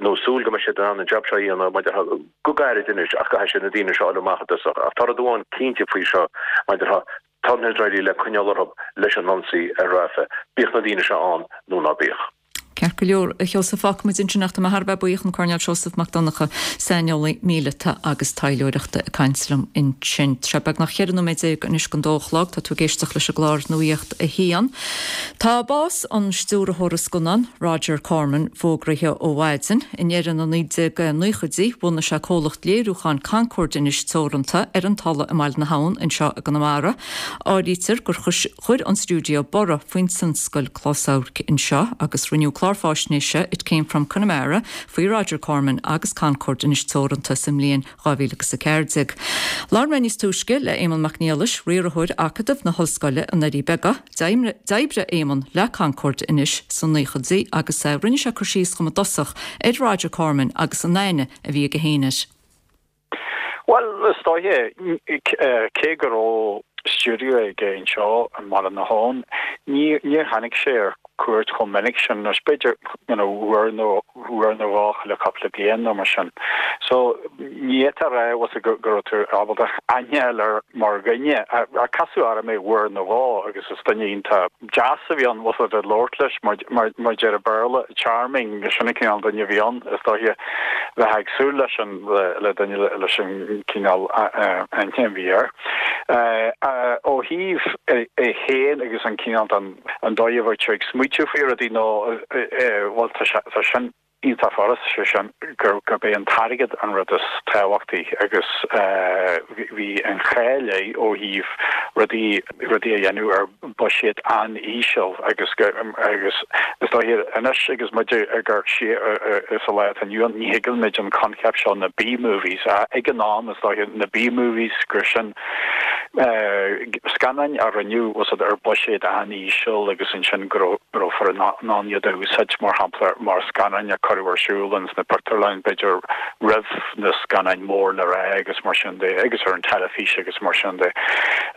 Speaker 14: nó súil go mbeidh siad in ann an jab seo a dhéanamh mar a déarfá go gairid anois ach caithfidh siad na daoine seo a fháil amach i dtosach. Ach tá rud amháin cinnte faoi seo, mar a déarfá, tá na hIosraelaigh le coinneáil orthu leis an ionsaí ar Rafah, bíodh na daoine seo ann nó ná bíodh.
Speaker 1: Ceart go leor, a Sheosaimh, fágfaidh muid ansin ach tá mé thar a bheith buíoch, an Coirnéal Seosamh Mac Donncha, saineolaí míleata agus taidhleoireachta ag caint liom ansin. Tá sé beagnach 14 nóiméad anois don dó a chlog, tá tú ag éisteacht leis an gclár Nuacht a hAon. Tá bás an stiúrthóra scannán, Roger Corman, fógraithe ó mhaidin. I ndeireadh na 1990idí, bhunaigh sé comhlacht léiriúcháin Concorde Anois Teoranta ar an Tulaigh i mBaile na hAbhann anseo i gConamara. Áirítear gur Chuir an stiúideo borradh faoin tionscal closamhairc anseo agus rinneadh clár fáisnéise It Came From Connemara faoi Roger Corman agus Concorde Anois Teoranta sa mbliain 2014. Labhair mé níos túisce le Éamonn Mac Niallais, riarthóir Acadamh na hOllscoile i nDoirí Beaga. D'oibrigh Éamonn le Concorde Anois sna naochaidí agus rinne sé cur síos dhom i dtosach ar Roger Corman agus an aithne a bhí aige féin air.
Speaker 15: Bhuel, is dóiche, cé go raibh stiúideo aige anseo i mBaile na hAbhann, níor tháinig sé ar cuairt chomh minic sin, nó b'fhéidir, you know, uair nó uair nó dhó chuile chúpla bliain nó mar sin. So, ní fhéadfá a rá, bhfuil 's agat, go raibh tú ábalta aithne a fháil air mar dhuine. Ach casadh orm é uair nó dhó agus is duine iontach deas a bhí ann, bhfuil 's agat, labhairt leis mar a deir an Béarla, charming, sin an cineál duine a bhí ann, is dóiche, bheifeá ag súil leis an, le duine leis an cineál aithne a bhí air. Ó thaobh é féin agus an cineál den, an dóigh a bheadh sé ag smaoitiú faoi rudaí nó, bhuel, tá sé, tá sin iontach furast, sé sin, gurb é an t-airgead an rud is tábhachtaí agus bhí an cháil air ó thaobh rudaí, rudaí a dhéanamh ar buiséad an-íseal agus agus is dóiche anois agus muid ag amharc siar sa lá atá inniu ann, ní thuigeann muid an coincheap seo na B-movies ag an am is dóiche na B-movies gur sin scannáin a rinneadh bhfuil 's agat ar buiséad an-íseal agus ansin go raibh in ann iad a úsáid mar shampla mar scannáin a cuireadh ar siúl ins na pictiúrlanna b'fhéidir roimh na scannáin mór le rá agus mar sin de agus ar an teilifís agus mar sin de.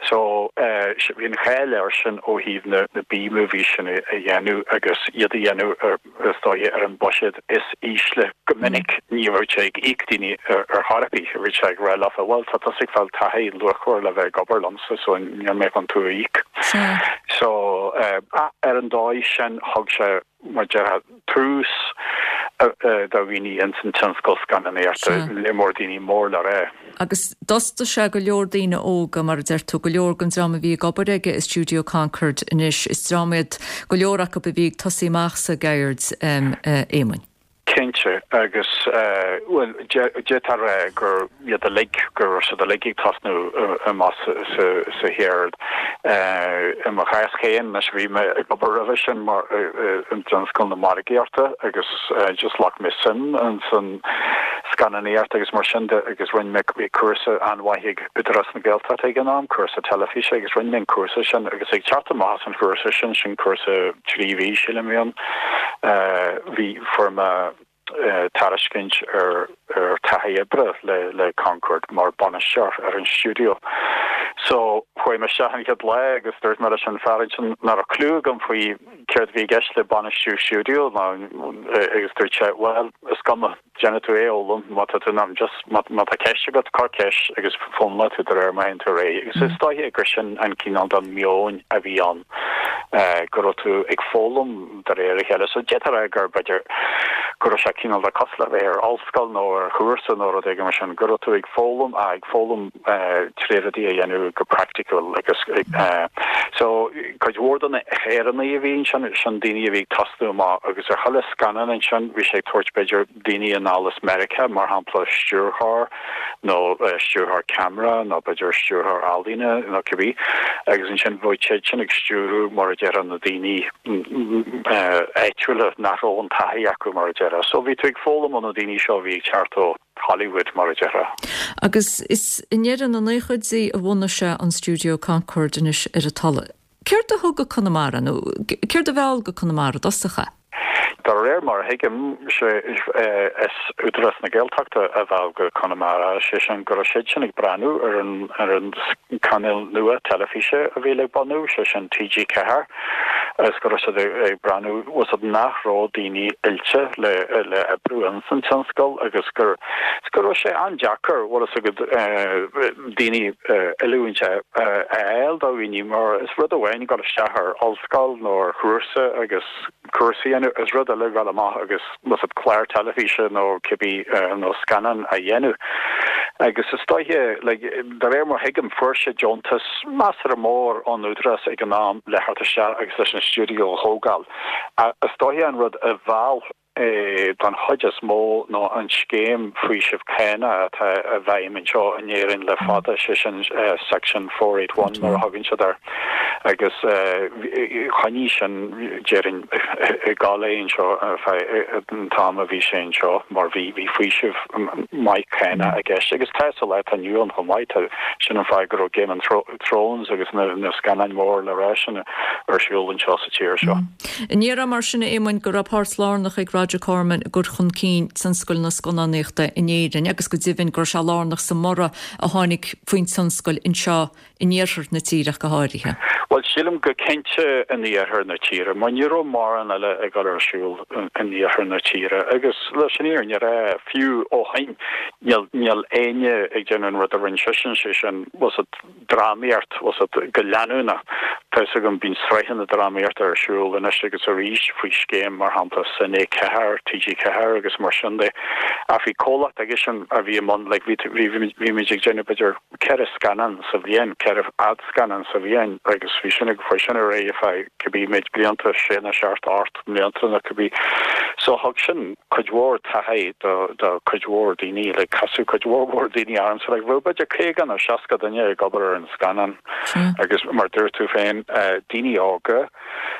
Speaker 15: So bhí an cháil air sin ó thaobh na B-movies sin a dhéanamh agus iad a dhéanamh ar is dóiche, ar an buiséad is ísle. Go minic ní raibh sé ag íoc daoine ar chor ar bith, bhí sé ag rá leofa, bhuel, tá tusa ag fáil taithí luachmhar le bheith ag obair liomsa so níl mé chun tú a íoc. So, ar an dóigh sin thug sé, mar a déarfá, tús do dhaoine ins an tionscal scannánaíochta, le mór daoine mór le rá.
Speaker 1: Agus d'fhostaigh sé go leor daoine óga, mar a deir tú, go leor den dream a bhí ag obair aige i Stiúideo Concorde anois, is dream iad go leor acu a bhí ag tosaí amach sa gceird, a Éamoinn.
Speaker 15: Cinnte, agus, bhuel, d'fhéadfá a rá gur iad uilig, go raibh siad uilig ag tosnú amach sa cheird. I mo chás féin, anois bhí mé ag obair roimhe sin mar i dtionscal na margaíochta agus just ghlac mé suim in san scannánaíocht agus mar sin de agus rinne mé, bhí cúrsa an-mhaith ag Údarás na Gaeltachta ag an am, cúrsa teilifíse agus rinne mé an cúrsa sin agus ag teacht amach as an chúrsa sin, sin cúrsa 3 mhí sílim a bhí ann, bhí, fuair mé tairiscint ar ar taithí oibre le le Concorde mar bainisteoir ar an stiúideo. So chuaigh mé isteach an chéad lá agus dúirt mé leis an fear ansin nach raibh cliú agam faoi céard a bhí i gceist le bainistiú stiúideo ná agus dúirt sé bhuel is cuma déanfaidh tú é a fhoghlaim má tá tú in ann just má má tá ceist agat cuir ceist agus foghlaimeoidh tú de réir mar a théann tú ar aghaidh. Agus is dóiche gur sin an cineál den meon a bhí ann go raibh tú ag foghlaim de réir a chéile. So d'fhéadfá a rá gur b'fhéidir go raibh sé cineál de cosúil le bheith ar ollscoil nó ar chúrsa nó rud éigin mar sin, go raibh tú ag foghlaim, ag foghlaim tré rudaí a dhéanamh go praiticiúil agus so cuid mhór de na hÉireannaigh a bhí ansin, sin daoine a bhí ag tosnú amach agus ar chuile scannán ansin bhí sé ag tabhairt b'fhéidir daoine anall as Meiriceá, mar shampla stiúrthóir nó stiúrthóir ceamara nó b'fhéidir stiúrthóir ealaíne nó cibé, agus ansin bheadh siad sin ag stiúradh mar a déarfá na daoine áitiúla nach raibh an taithí acu mar a déarfá. So bhí tú ag foghlaim ó na daoine seo a bhí ag teacht ó Hollywood mar a déarfá.
Speaker 1: Agus is i ndeireadh na naochaidí a bhunaigh sé an stiúideo Concorde anois ar an Tulaigh. Céard a thug go Conamara, nó céard a mheall go Conamara i dtosach é?
Speaker 15: De réir mar a thuigim, sé is Údarás na Gaeltachta a mheall go Conamara, sé sin go raibh siad sin ag breathnú ar an ar an cainéal nua teilifíse a bhí le bunú, sé sin TG4, agus go raibh siad ag breathnú, bhfuil a fhios agat, nach raibh daoine oilte le le oibriú ins an tionscal agus gur go raibh sé an-deacair, bhfuil a fhios agat, daoine oiliúint a fháil do dhaoine mar is rud amháin dul isteach ar ollscoil nó ar chúrsa agus cúrsa a dhéanamh, is rud eile dul amach agus bhfuil a fhios agat clár teilifíse nó cibé nó scannán a dhéanamh. Agus is dóiche, like, de réir mar thuigim, fuair sé deontas measartha mór ón Údarás ag an am le theacht isteach agus leis an stiúideo a thógáil. Is dóiche an rud a mheall é don chuid is mó ná an scéim faoisimh cánach atá i bhfeidhm anseo in Éirinn le fada, sé sin Section 481 mar a thugann siad air, agus choinnigh sin, déarfainn, ag gabháil é anseo ar feadh an t-am a bhí sé anseo mar bhí bhí faoiseamh maith cánach i gceist agus tá sa lá atá inniu ann chomh maith, tá, sin an fáth go raibh Game of Thrones agus na scannáin mhór le rá sin ar siúl anseo sa tír seo.
Speaker 1: An ndéarfá mar sin, a Éamoinn, go raibh páirt lárnach ag Roger Corman i gcur chun cinn tionscal na scannánaíochta in Éirinn agus go deimhin go raibh sé lárnach sa mborradh a tháinig faoin tionscal anseo in iarthar na tíre ach go háirithe?
Speaker 15: Bhuel, sílim go cinnte in iarthar na tíre, mar ní raibh mórán eile ag dul ar siúl in iarthar na tíre agus leis an fhírinne a rá, fiú ó shin, níl níl éinne ag déanamh an rud a rinne seisean, sé sin, bhfuil a fhios agat, drámaíocht, bhfuil a fhios agat, go leanúnach. Tá fhios agam, bíonn sraitheanna drámaíochta ar siúl anois agus arís faoi scéim, mar shampla, Cine 4, TG4 agus mar sin de. Ach bhí comhlacht aigesean a bhí i mbun, like, bhí, bhí, bhí muid ag déanamh b'fhéidir ceithre scannán sa bhliain, ceithre fhadscannán sa bhliain agus bhí sin ag, chuaigh sin ar aghaidh ar feadh cibé méid blianta, sé nó seacht, ocht mblianta nó cibé. So thug sin cuid mhór taithí do do cuid mhór daoine, like casadh cuid mhór mhór daoine ormsa, like bheadh b'fhéidir 50 nó 60 duine ag obair ar an scannán agus mar dúirt tú féin, daoine óga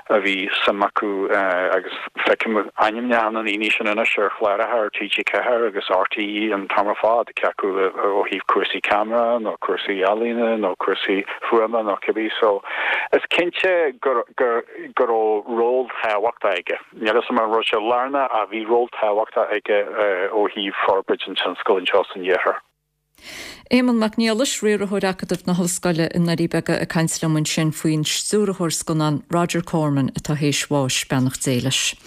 Speaker 15: a bhí suim acu agus feicim ainmneacha na ndaoine sin anois ar chláracha ar TG4 agus RTÉ an t-am ar fad, cé acu ó thaobh cúrsaí ceamara nó cúrsaí ealaíne nó cúrsaí fuaime nó cibé so is cinnte gur gur go raibh ról tábhachtach aige. Níl a fhios agam an raibh sé lárnach ach bhí ról tábhachtach aige ó thaobh forbairt an tionscail anseo san iarthar.
Speaker 1: Éamonn Mac Niallais, Riarthóir Acadamh na hOllscoile i nDoirí Beaga ag caint liom ansin faoin stiúrthóir scannán Roger Corman atá théis bháis, beannacht Dé leis.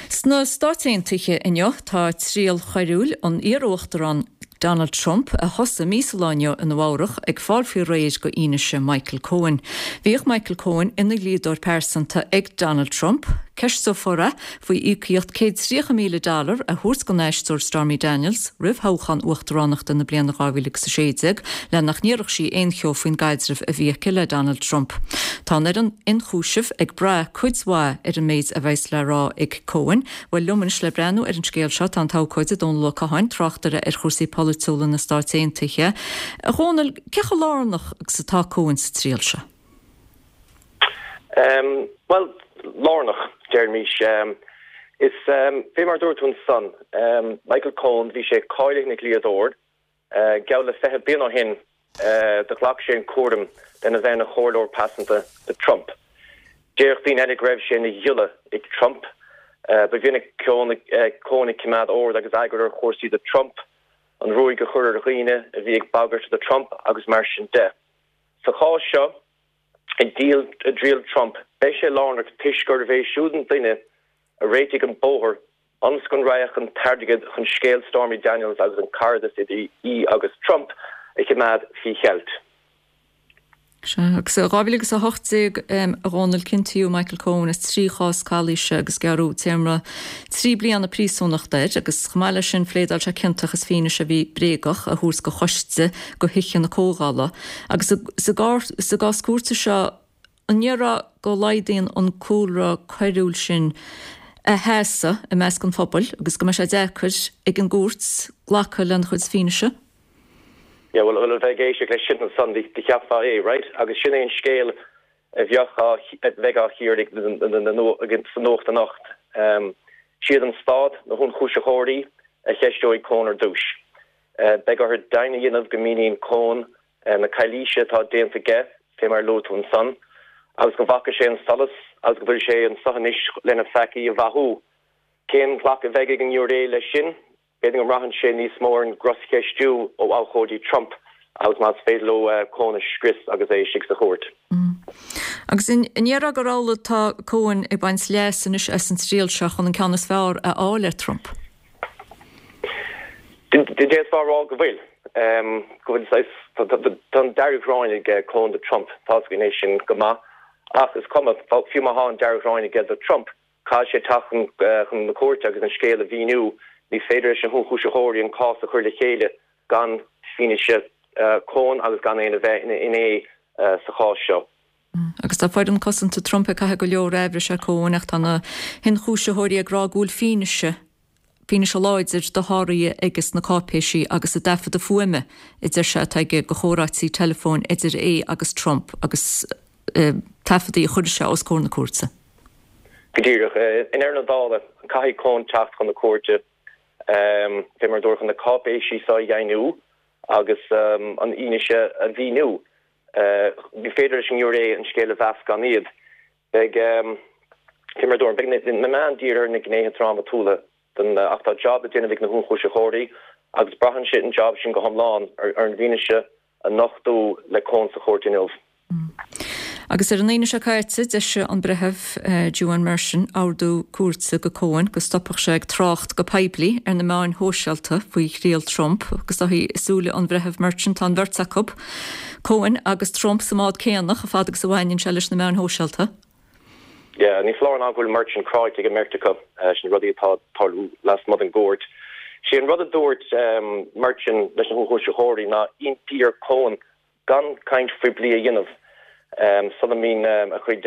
Speaker 1: Sna Stáit Aontaithe inniu tá triail choiriúil an iar-uachtaráin Donald Trump, a thosaigh mí sa lá inniu i Nua Eabhrach, ag fáil faoi réir go fhianaise Michael Cohen. Bhíodh Michael Cohen ina dhlíodóir pearsanta ag Donald Trump. Ceisteofar é faoi íocaíocht 130,000 dollar a thabhairt don aisteoir Stormy Daniels roimh thoghchán uachtaránachta na bliana 2016 le nach ndéarfadh sí aon cheo faoin gcaidreamh a bhí aici le Donald Trump. Tá an fhoireann ionchúisimh ag brath cuid mhaith ar an méid a bheas le rá ag Cohen. Bhuel, liom anois le breathnú ar an scéal seo tá an t-abhcóide Dónal Ó Catháin, tráchtaire ar chúrsaí polaitiúla na Stáit Aontaithe. A Dhónaill, cé chomh lárnach agus atá Cohen sa triail seo?
Speaker 16: Bhuel, lárnach, déarfaimis. Is fé mar a dúirt tú ansan, Michael Cohen, bhí sé cáilithe ina dhlíodóir. Geall le 20 bliain ó shin do ghlac sé an cúram lena bheith ina chomhairleoir pearsanta do Trump. Déarfadh daoine eile go raibh sé ina ghiolla ag Trump. Ba mhinic Cohen ag coimeád ord agus eagar ar chúrsaí do Trump, an ruaig a chur ar dhaoine a bhí ag bagairt do Trump agus mar sin de. Sa chás seo, i dtriail Trump, beidh sé lárnach toisc gurbh é siúd an duine a réitigh an bóthar ionas go raghadh an t-airgead chun scéal Stormy Daniels agus an cairdeas idir í agus Trump a choimeád faoi cheilt.
Speaker 1: Sea, agus i 2018, a Dhónaill, ciontaíodh Michael Cohen as 3 chás calaoise agus gearradh téarma 3 bliana príosúnachta air agus chomh maith leis sin phléadáil sé ciontach as fianaise a bhí bréagach a thabhairt do choiste de Thithe na Comhdhála. Agus sa gcás cúirte seo, an ndéarfá go laghdaíonn an cúlra coiriúil sin a sheasamh i measc an phobail agus go mbeidh sé deacair ag an gcúirt glacadh lena chuid fianaise?
Speaker 16: Yeah, bhuel, a bheith ag éisteacht leis sin ansan, do cheapfá é, right? Agus sin é an scéal a bheadh á, a bheidh á chíoradh sa nuacht anocht. Siad an stát, na hionchúisitheoirí, a cheisteoidh Cohen ar dtús. Beidh orthu deimhin a dhéanamh go míníonn Cohen na calaoise atá déanta aige, fé mar a luaigh tú ansan, agus go bhfaca sé an solas agus go bhfuil sé anso anois lena pheacaí a mhaitheamh. Cén ghlacadh a bheidh ag an ngiúiré leis sin? B'fhéidir go mbraitheann sé níos mó ar an gcroscheistiú ó abhcóidí Trump agus más féidir leo Cohen a scrios agus é istigh sa chúirt.
Speaker 1: Agus an ndéarfá gur amhlaidh atá Cohen ag baint leas anois as an triail seo chun an ceann is fearr a fháil ar Trump?
Speaker 16: D'fhéadfá a rá go bhfuil. Go bhfuil saghas, tá an dearg-ghráin ag Cohen do Trump, tá's againn é sin go maith. Ach is cuma, fiú má thá an dearg-ghráin aige do Trump, caithfidh sé teacht chun na cúirte agus an scéal a mhíniú. Ní féidir leis na hionchúisitheoirí an cás a chur le chéile gan fianaise Cohen agus gan é a bheith ina fhinné sa chás seo.
Speaker 1: Agus tá foireann cosanta Trump ag caitheamh go leor aimhris ar Cohen ach tá na hionchúisitheoirí ag rá go bhfuil fianaise, fianaise láidir de sháruithe aige sna cáipéisí agus i dtaifeadadh fuaime a deir sé atá aige de chomhráití teileafóin idir é agus Trump agus taifeadtaí a chuirfidh sé os comhair na cúirte.
Speaker 16: Go díreach. I ndeireadh na dála, caithfidh Cohen teacht chun na cúirte, fé mar a dúradh, chun na cáipéisí seo a dheimhniú agus an fhianaise a mhíniú. Ní féidir leis an ngiúiré an scéal a mheas gan iad. Beidh, fé mar a dúradh, beidh na meáin dírithe ar na gnéithe drámatúla den, ach tá jab le déanamh ag na hionchúisitheoirí agus braitheann sé an jab sin go hiomlán ar an bhfianaise a nochtadh le Cohen sa chúirt inniu.
Speaker 1: Agus ar an Aoine seo caite, d'eisigh an Breitheamh Juan Merchan ordú cúirte go Cohen go stopfadh sé ag trácht go poiblí ar na meáin shóisialta faoi thriail Trump agus i súile an Bhreithimh Merchan tá an bheirt acu, Cohen agus Trump, sa mbád céanna chomh fada agus a bhaineann sé leis na meáin shóisialta.
Speaker 16: Yeah, ní foláir ná go bhfuil Merchan cráite ag an mbeirt acu, sin rudaí atá ag tarlú lasmuigh den gcúirt. Sé an rud a dúirt Merchan leis na hionchúisitheoirí ná impí ar Cohen gan caint phoiblí a dhéanamh sula mbíonn a chuid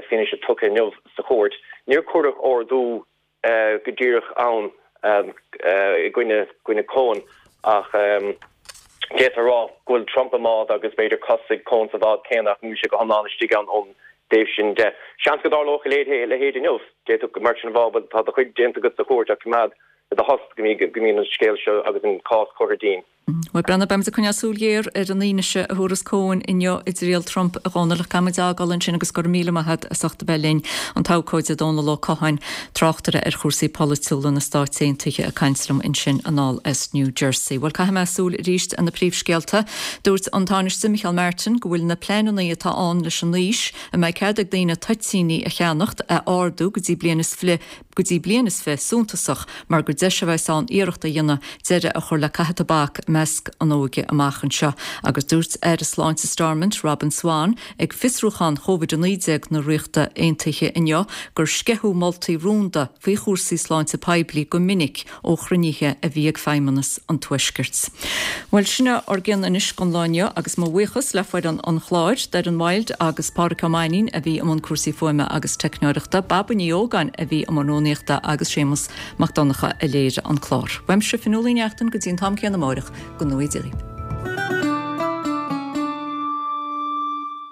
Speaker 16: fianaise tugtha inniu sa chúirt. Níor cuireadh ordú go díreach ann i gcoinne Cohen ach d'fhéadfá a rá go bhfuil Trump i mbád agus b'fhéidir cos ag Cohen sa bhád céanna ach níl sé go hiomlán istigh ann ón dtaobh sin de. Seans go dtarlódh a leithéid inniu. D'fhéadfadh Merchan a rá bhuel tá do chuid déanta agat sa chúirt ach coimeád do thost go mbíonn an scéal seo agus an cás curtha dínn.
Speaker 1: Bhuel, Breandán, beimid ag coinneáil súil ghéar ar an fhianaise a thabharfas Cohen inniu i dtriail Trump, a Dhónaill, ach caithfidh muid é a fhágáil ansin agus go raibh míle maith agat as ucht a bheith linn, an t-abhcóide Dónall Ó Catháin, tráchtaire ar chúrsaí polaitiúla na Stáit Aontaithe ag caint liom ansin anall as New Jersey. Bhuel, caithfidh mé súil arís ar na príomhscéalta. Dúirt an Tánaiste Micheál Martin go bhfuil na pleananna atá ann leis an aois a mbeidh cead ag daoine toitíní a cheannacht a ardú go dtí bliain is go dtí bliain is 20 suntasach mar gur deis a bheas ann iarracht a dhéanamh deireadh a chur le caitheamh tobac i. measc an óige amach anseo agus dúirt Aire Sláinte Stormont, Robin Swann, ag fiosrúchán Covid-19 na Ríochta Aontaithe inniu gur sceitheadh moltaí rúnda faoi chúrsaí sláinte poiblí go minic ó chruinnithe a bhí ag Feidhmeannas an Tuaiscirt. Bhuel, sin é ár gcion anois don lá inniu agus mo bhuíochas le foireann an chláir, Doireann Wilde agus Pádraic Ó Mainnín a bhí i mbun cúrsaí fuaime agus teicneoireachta, Baba Ní Ógáin a bhí i mbun rúnaíochta agus Séamus Mac Donncha a léirigh an clár. Uaimse Fionnuala Ní Neachtain go dtí an t-am céanna amáireach, go ngnóthaí Dia dhaoibh.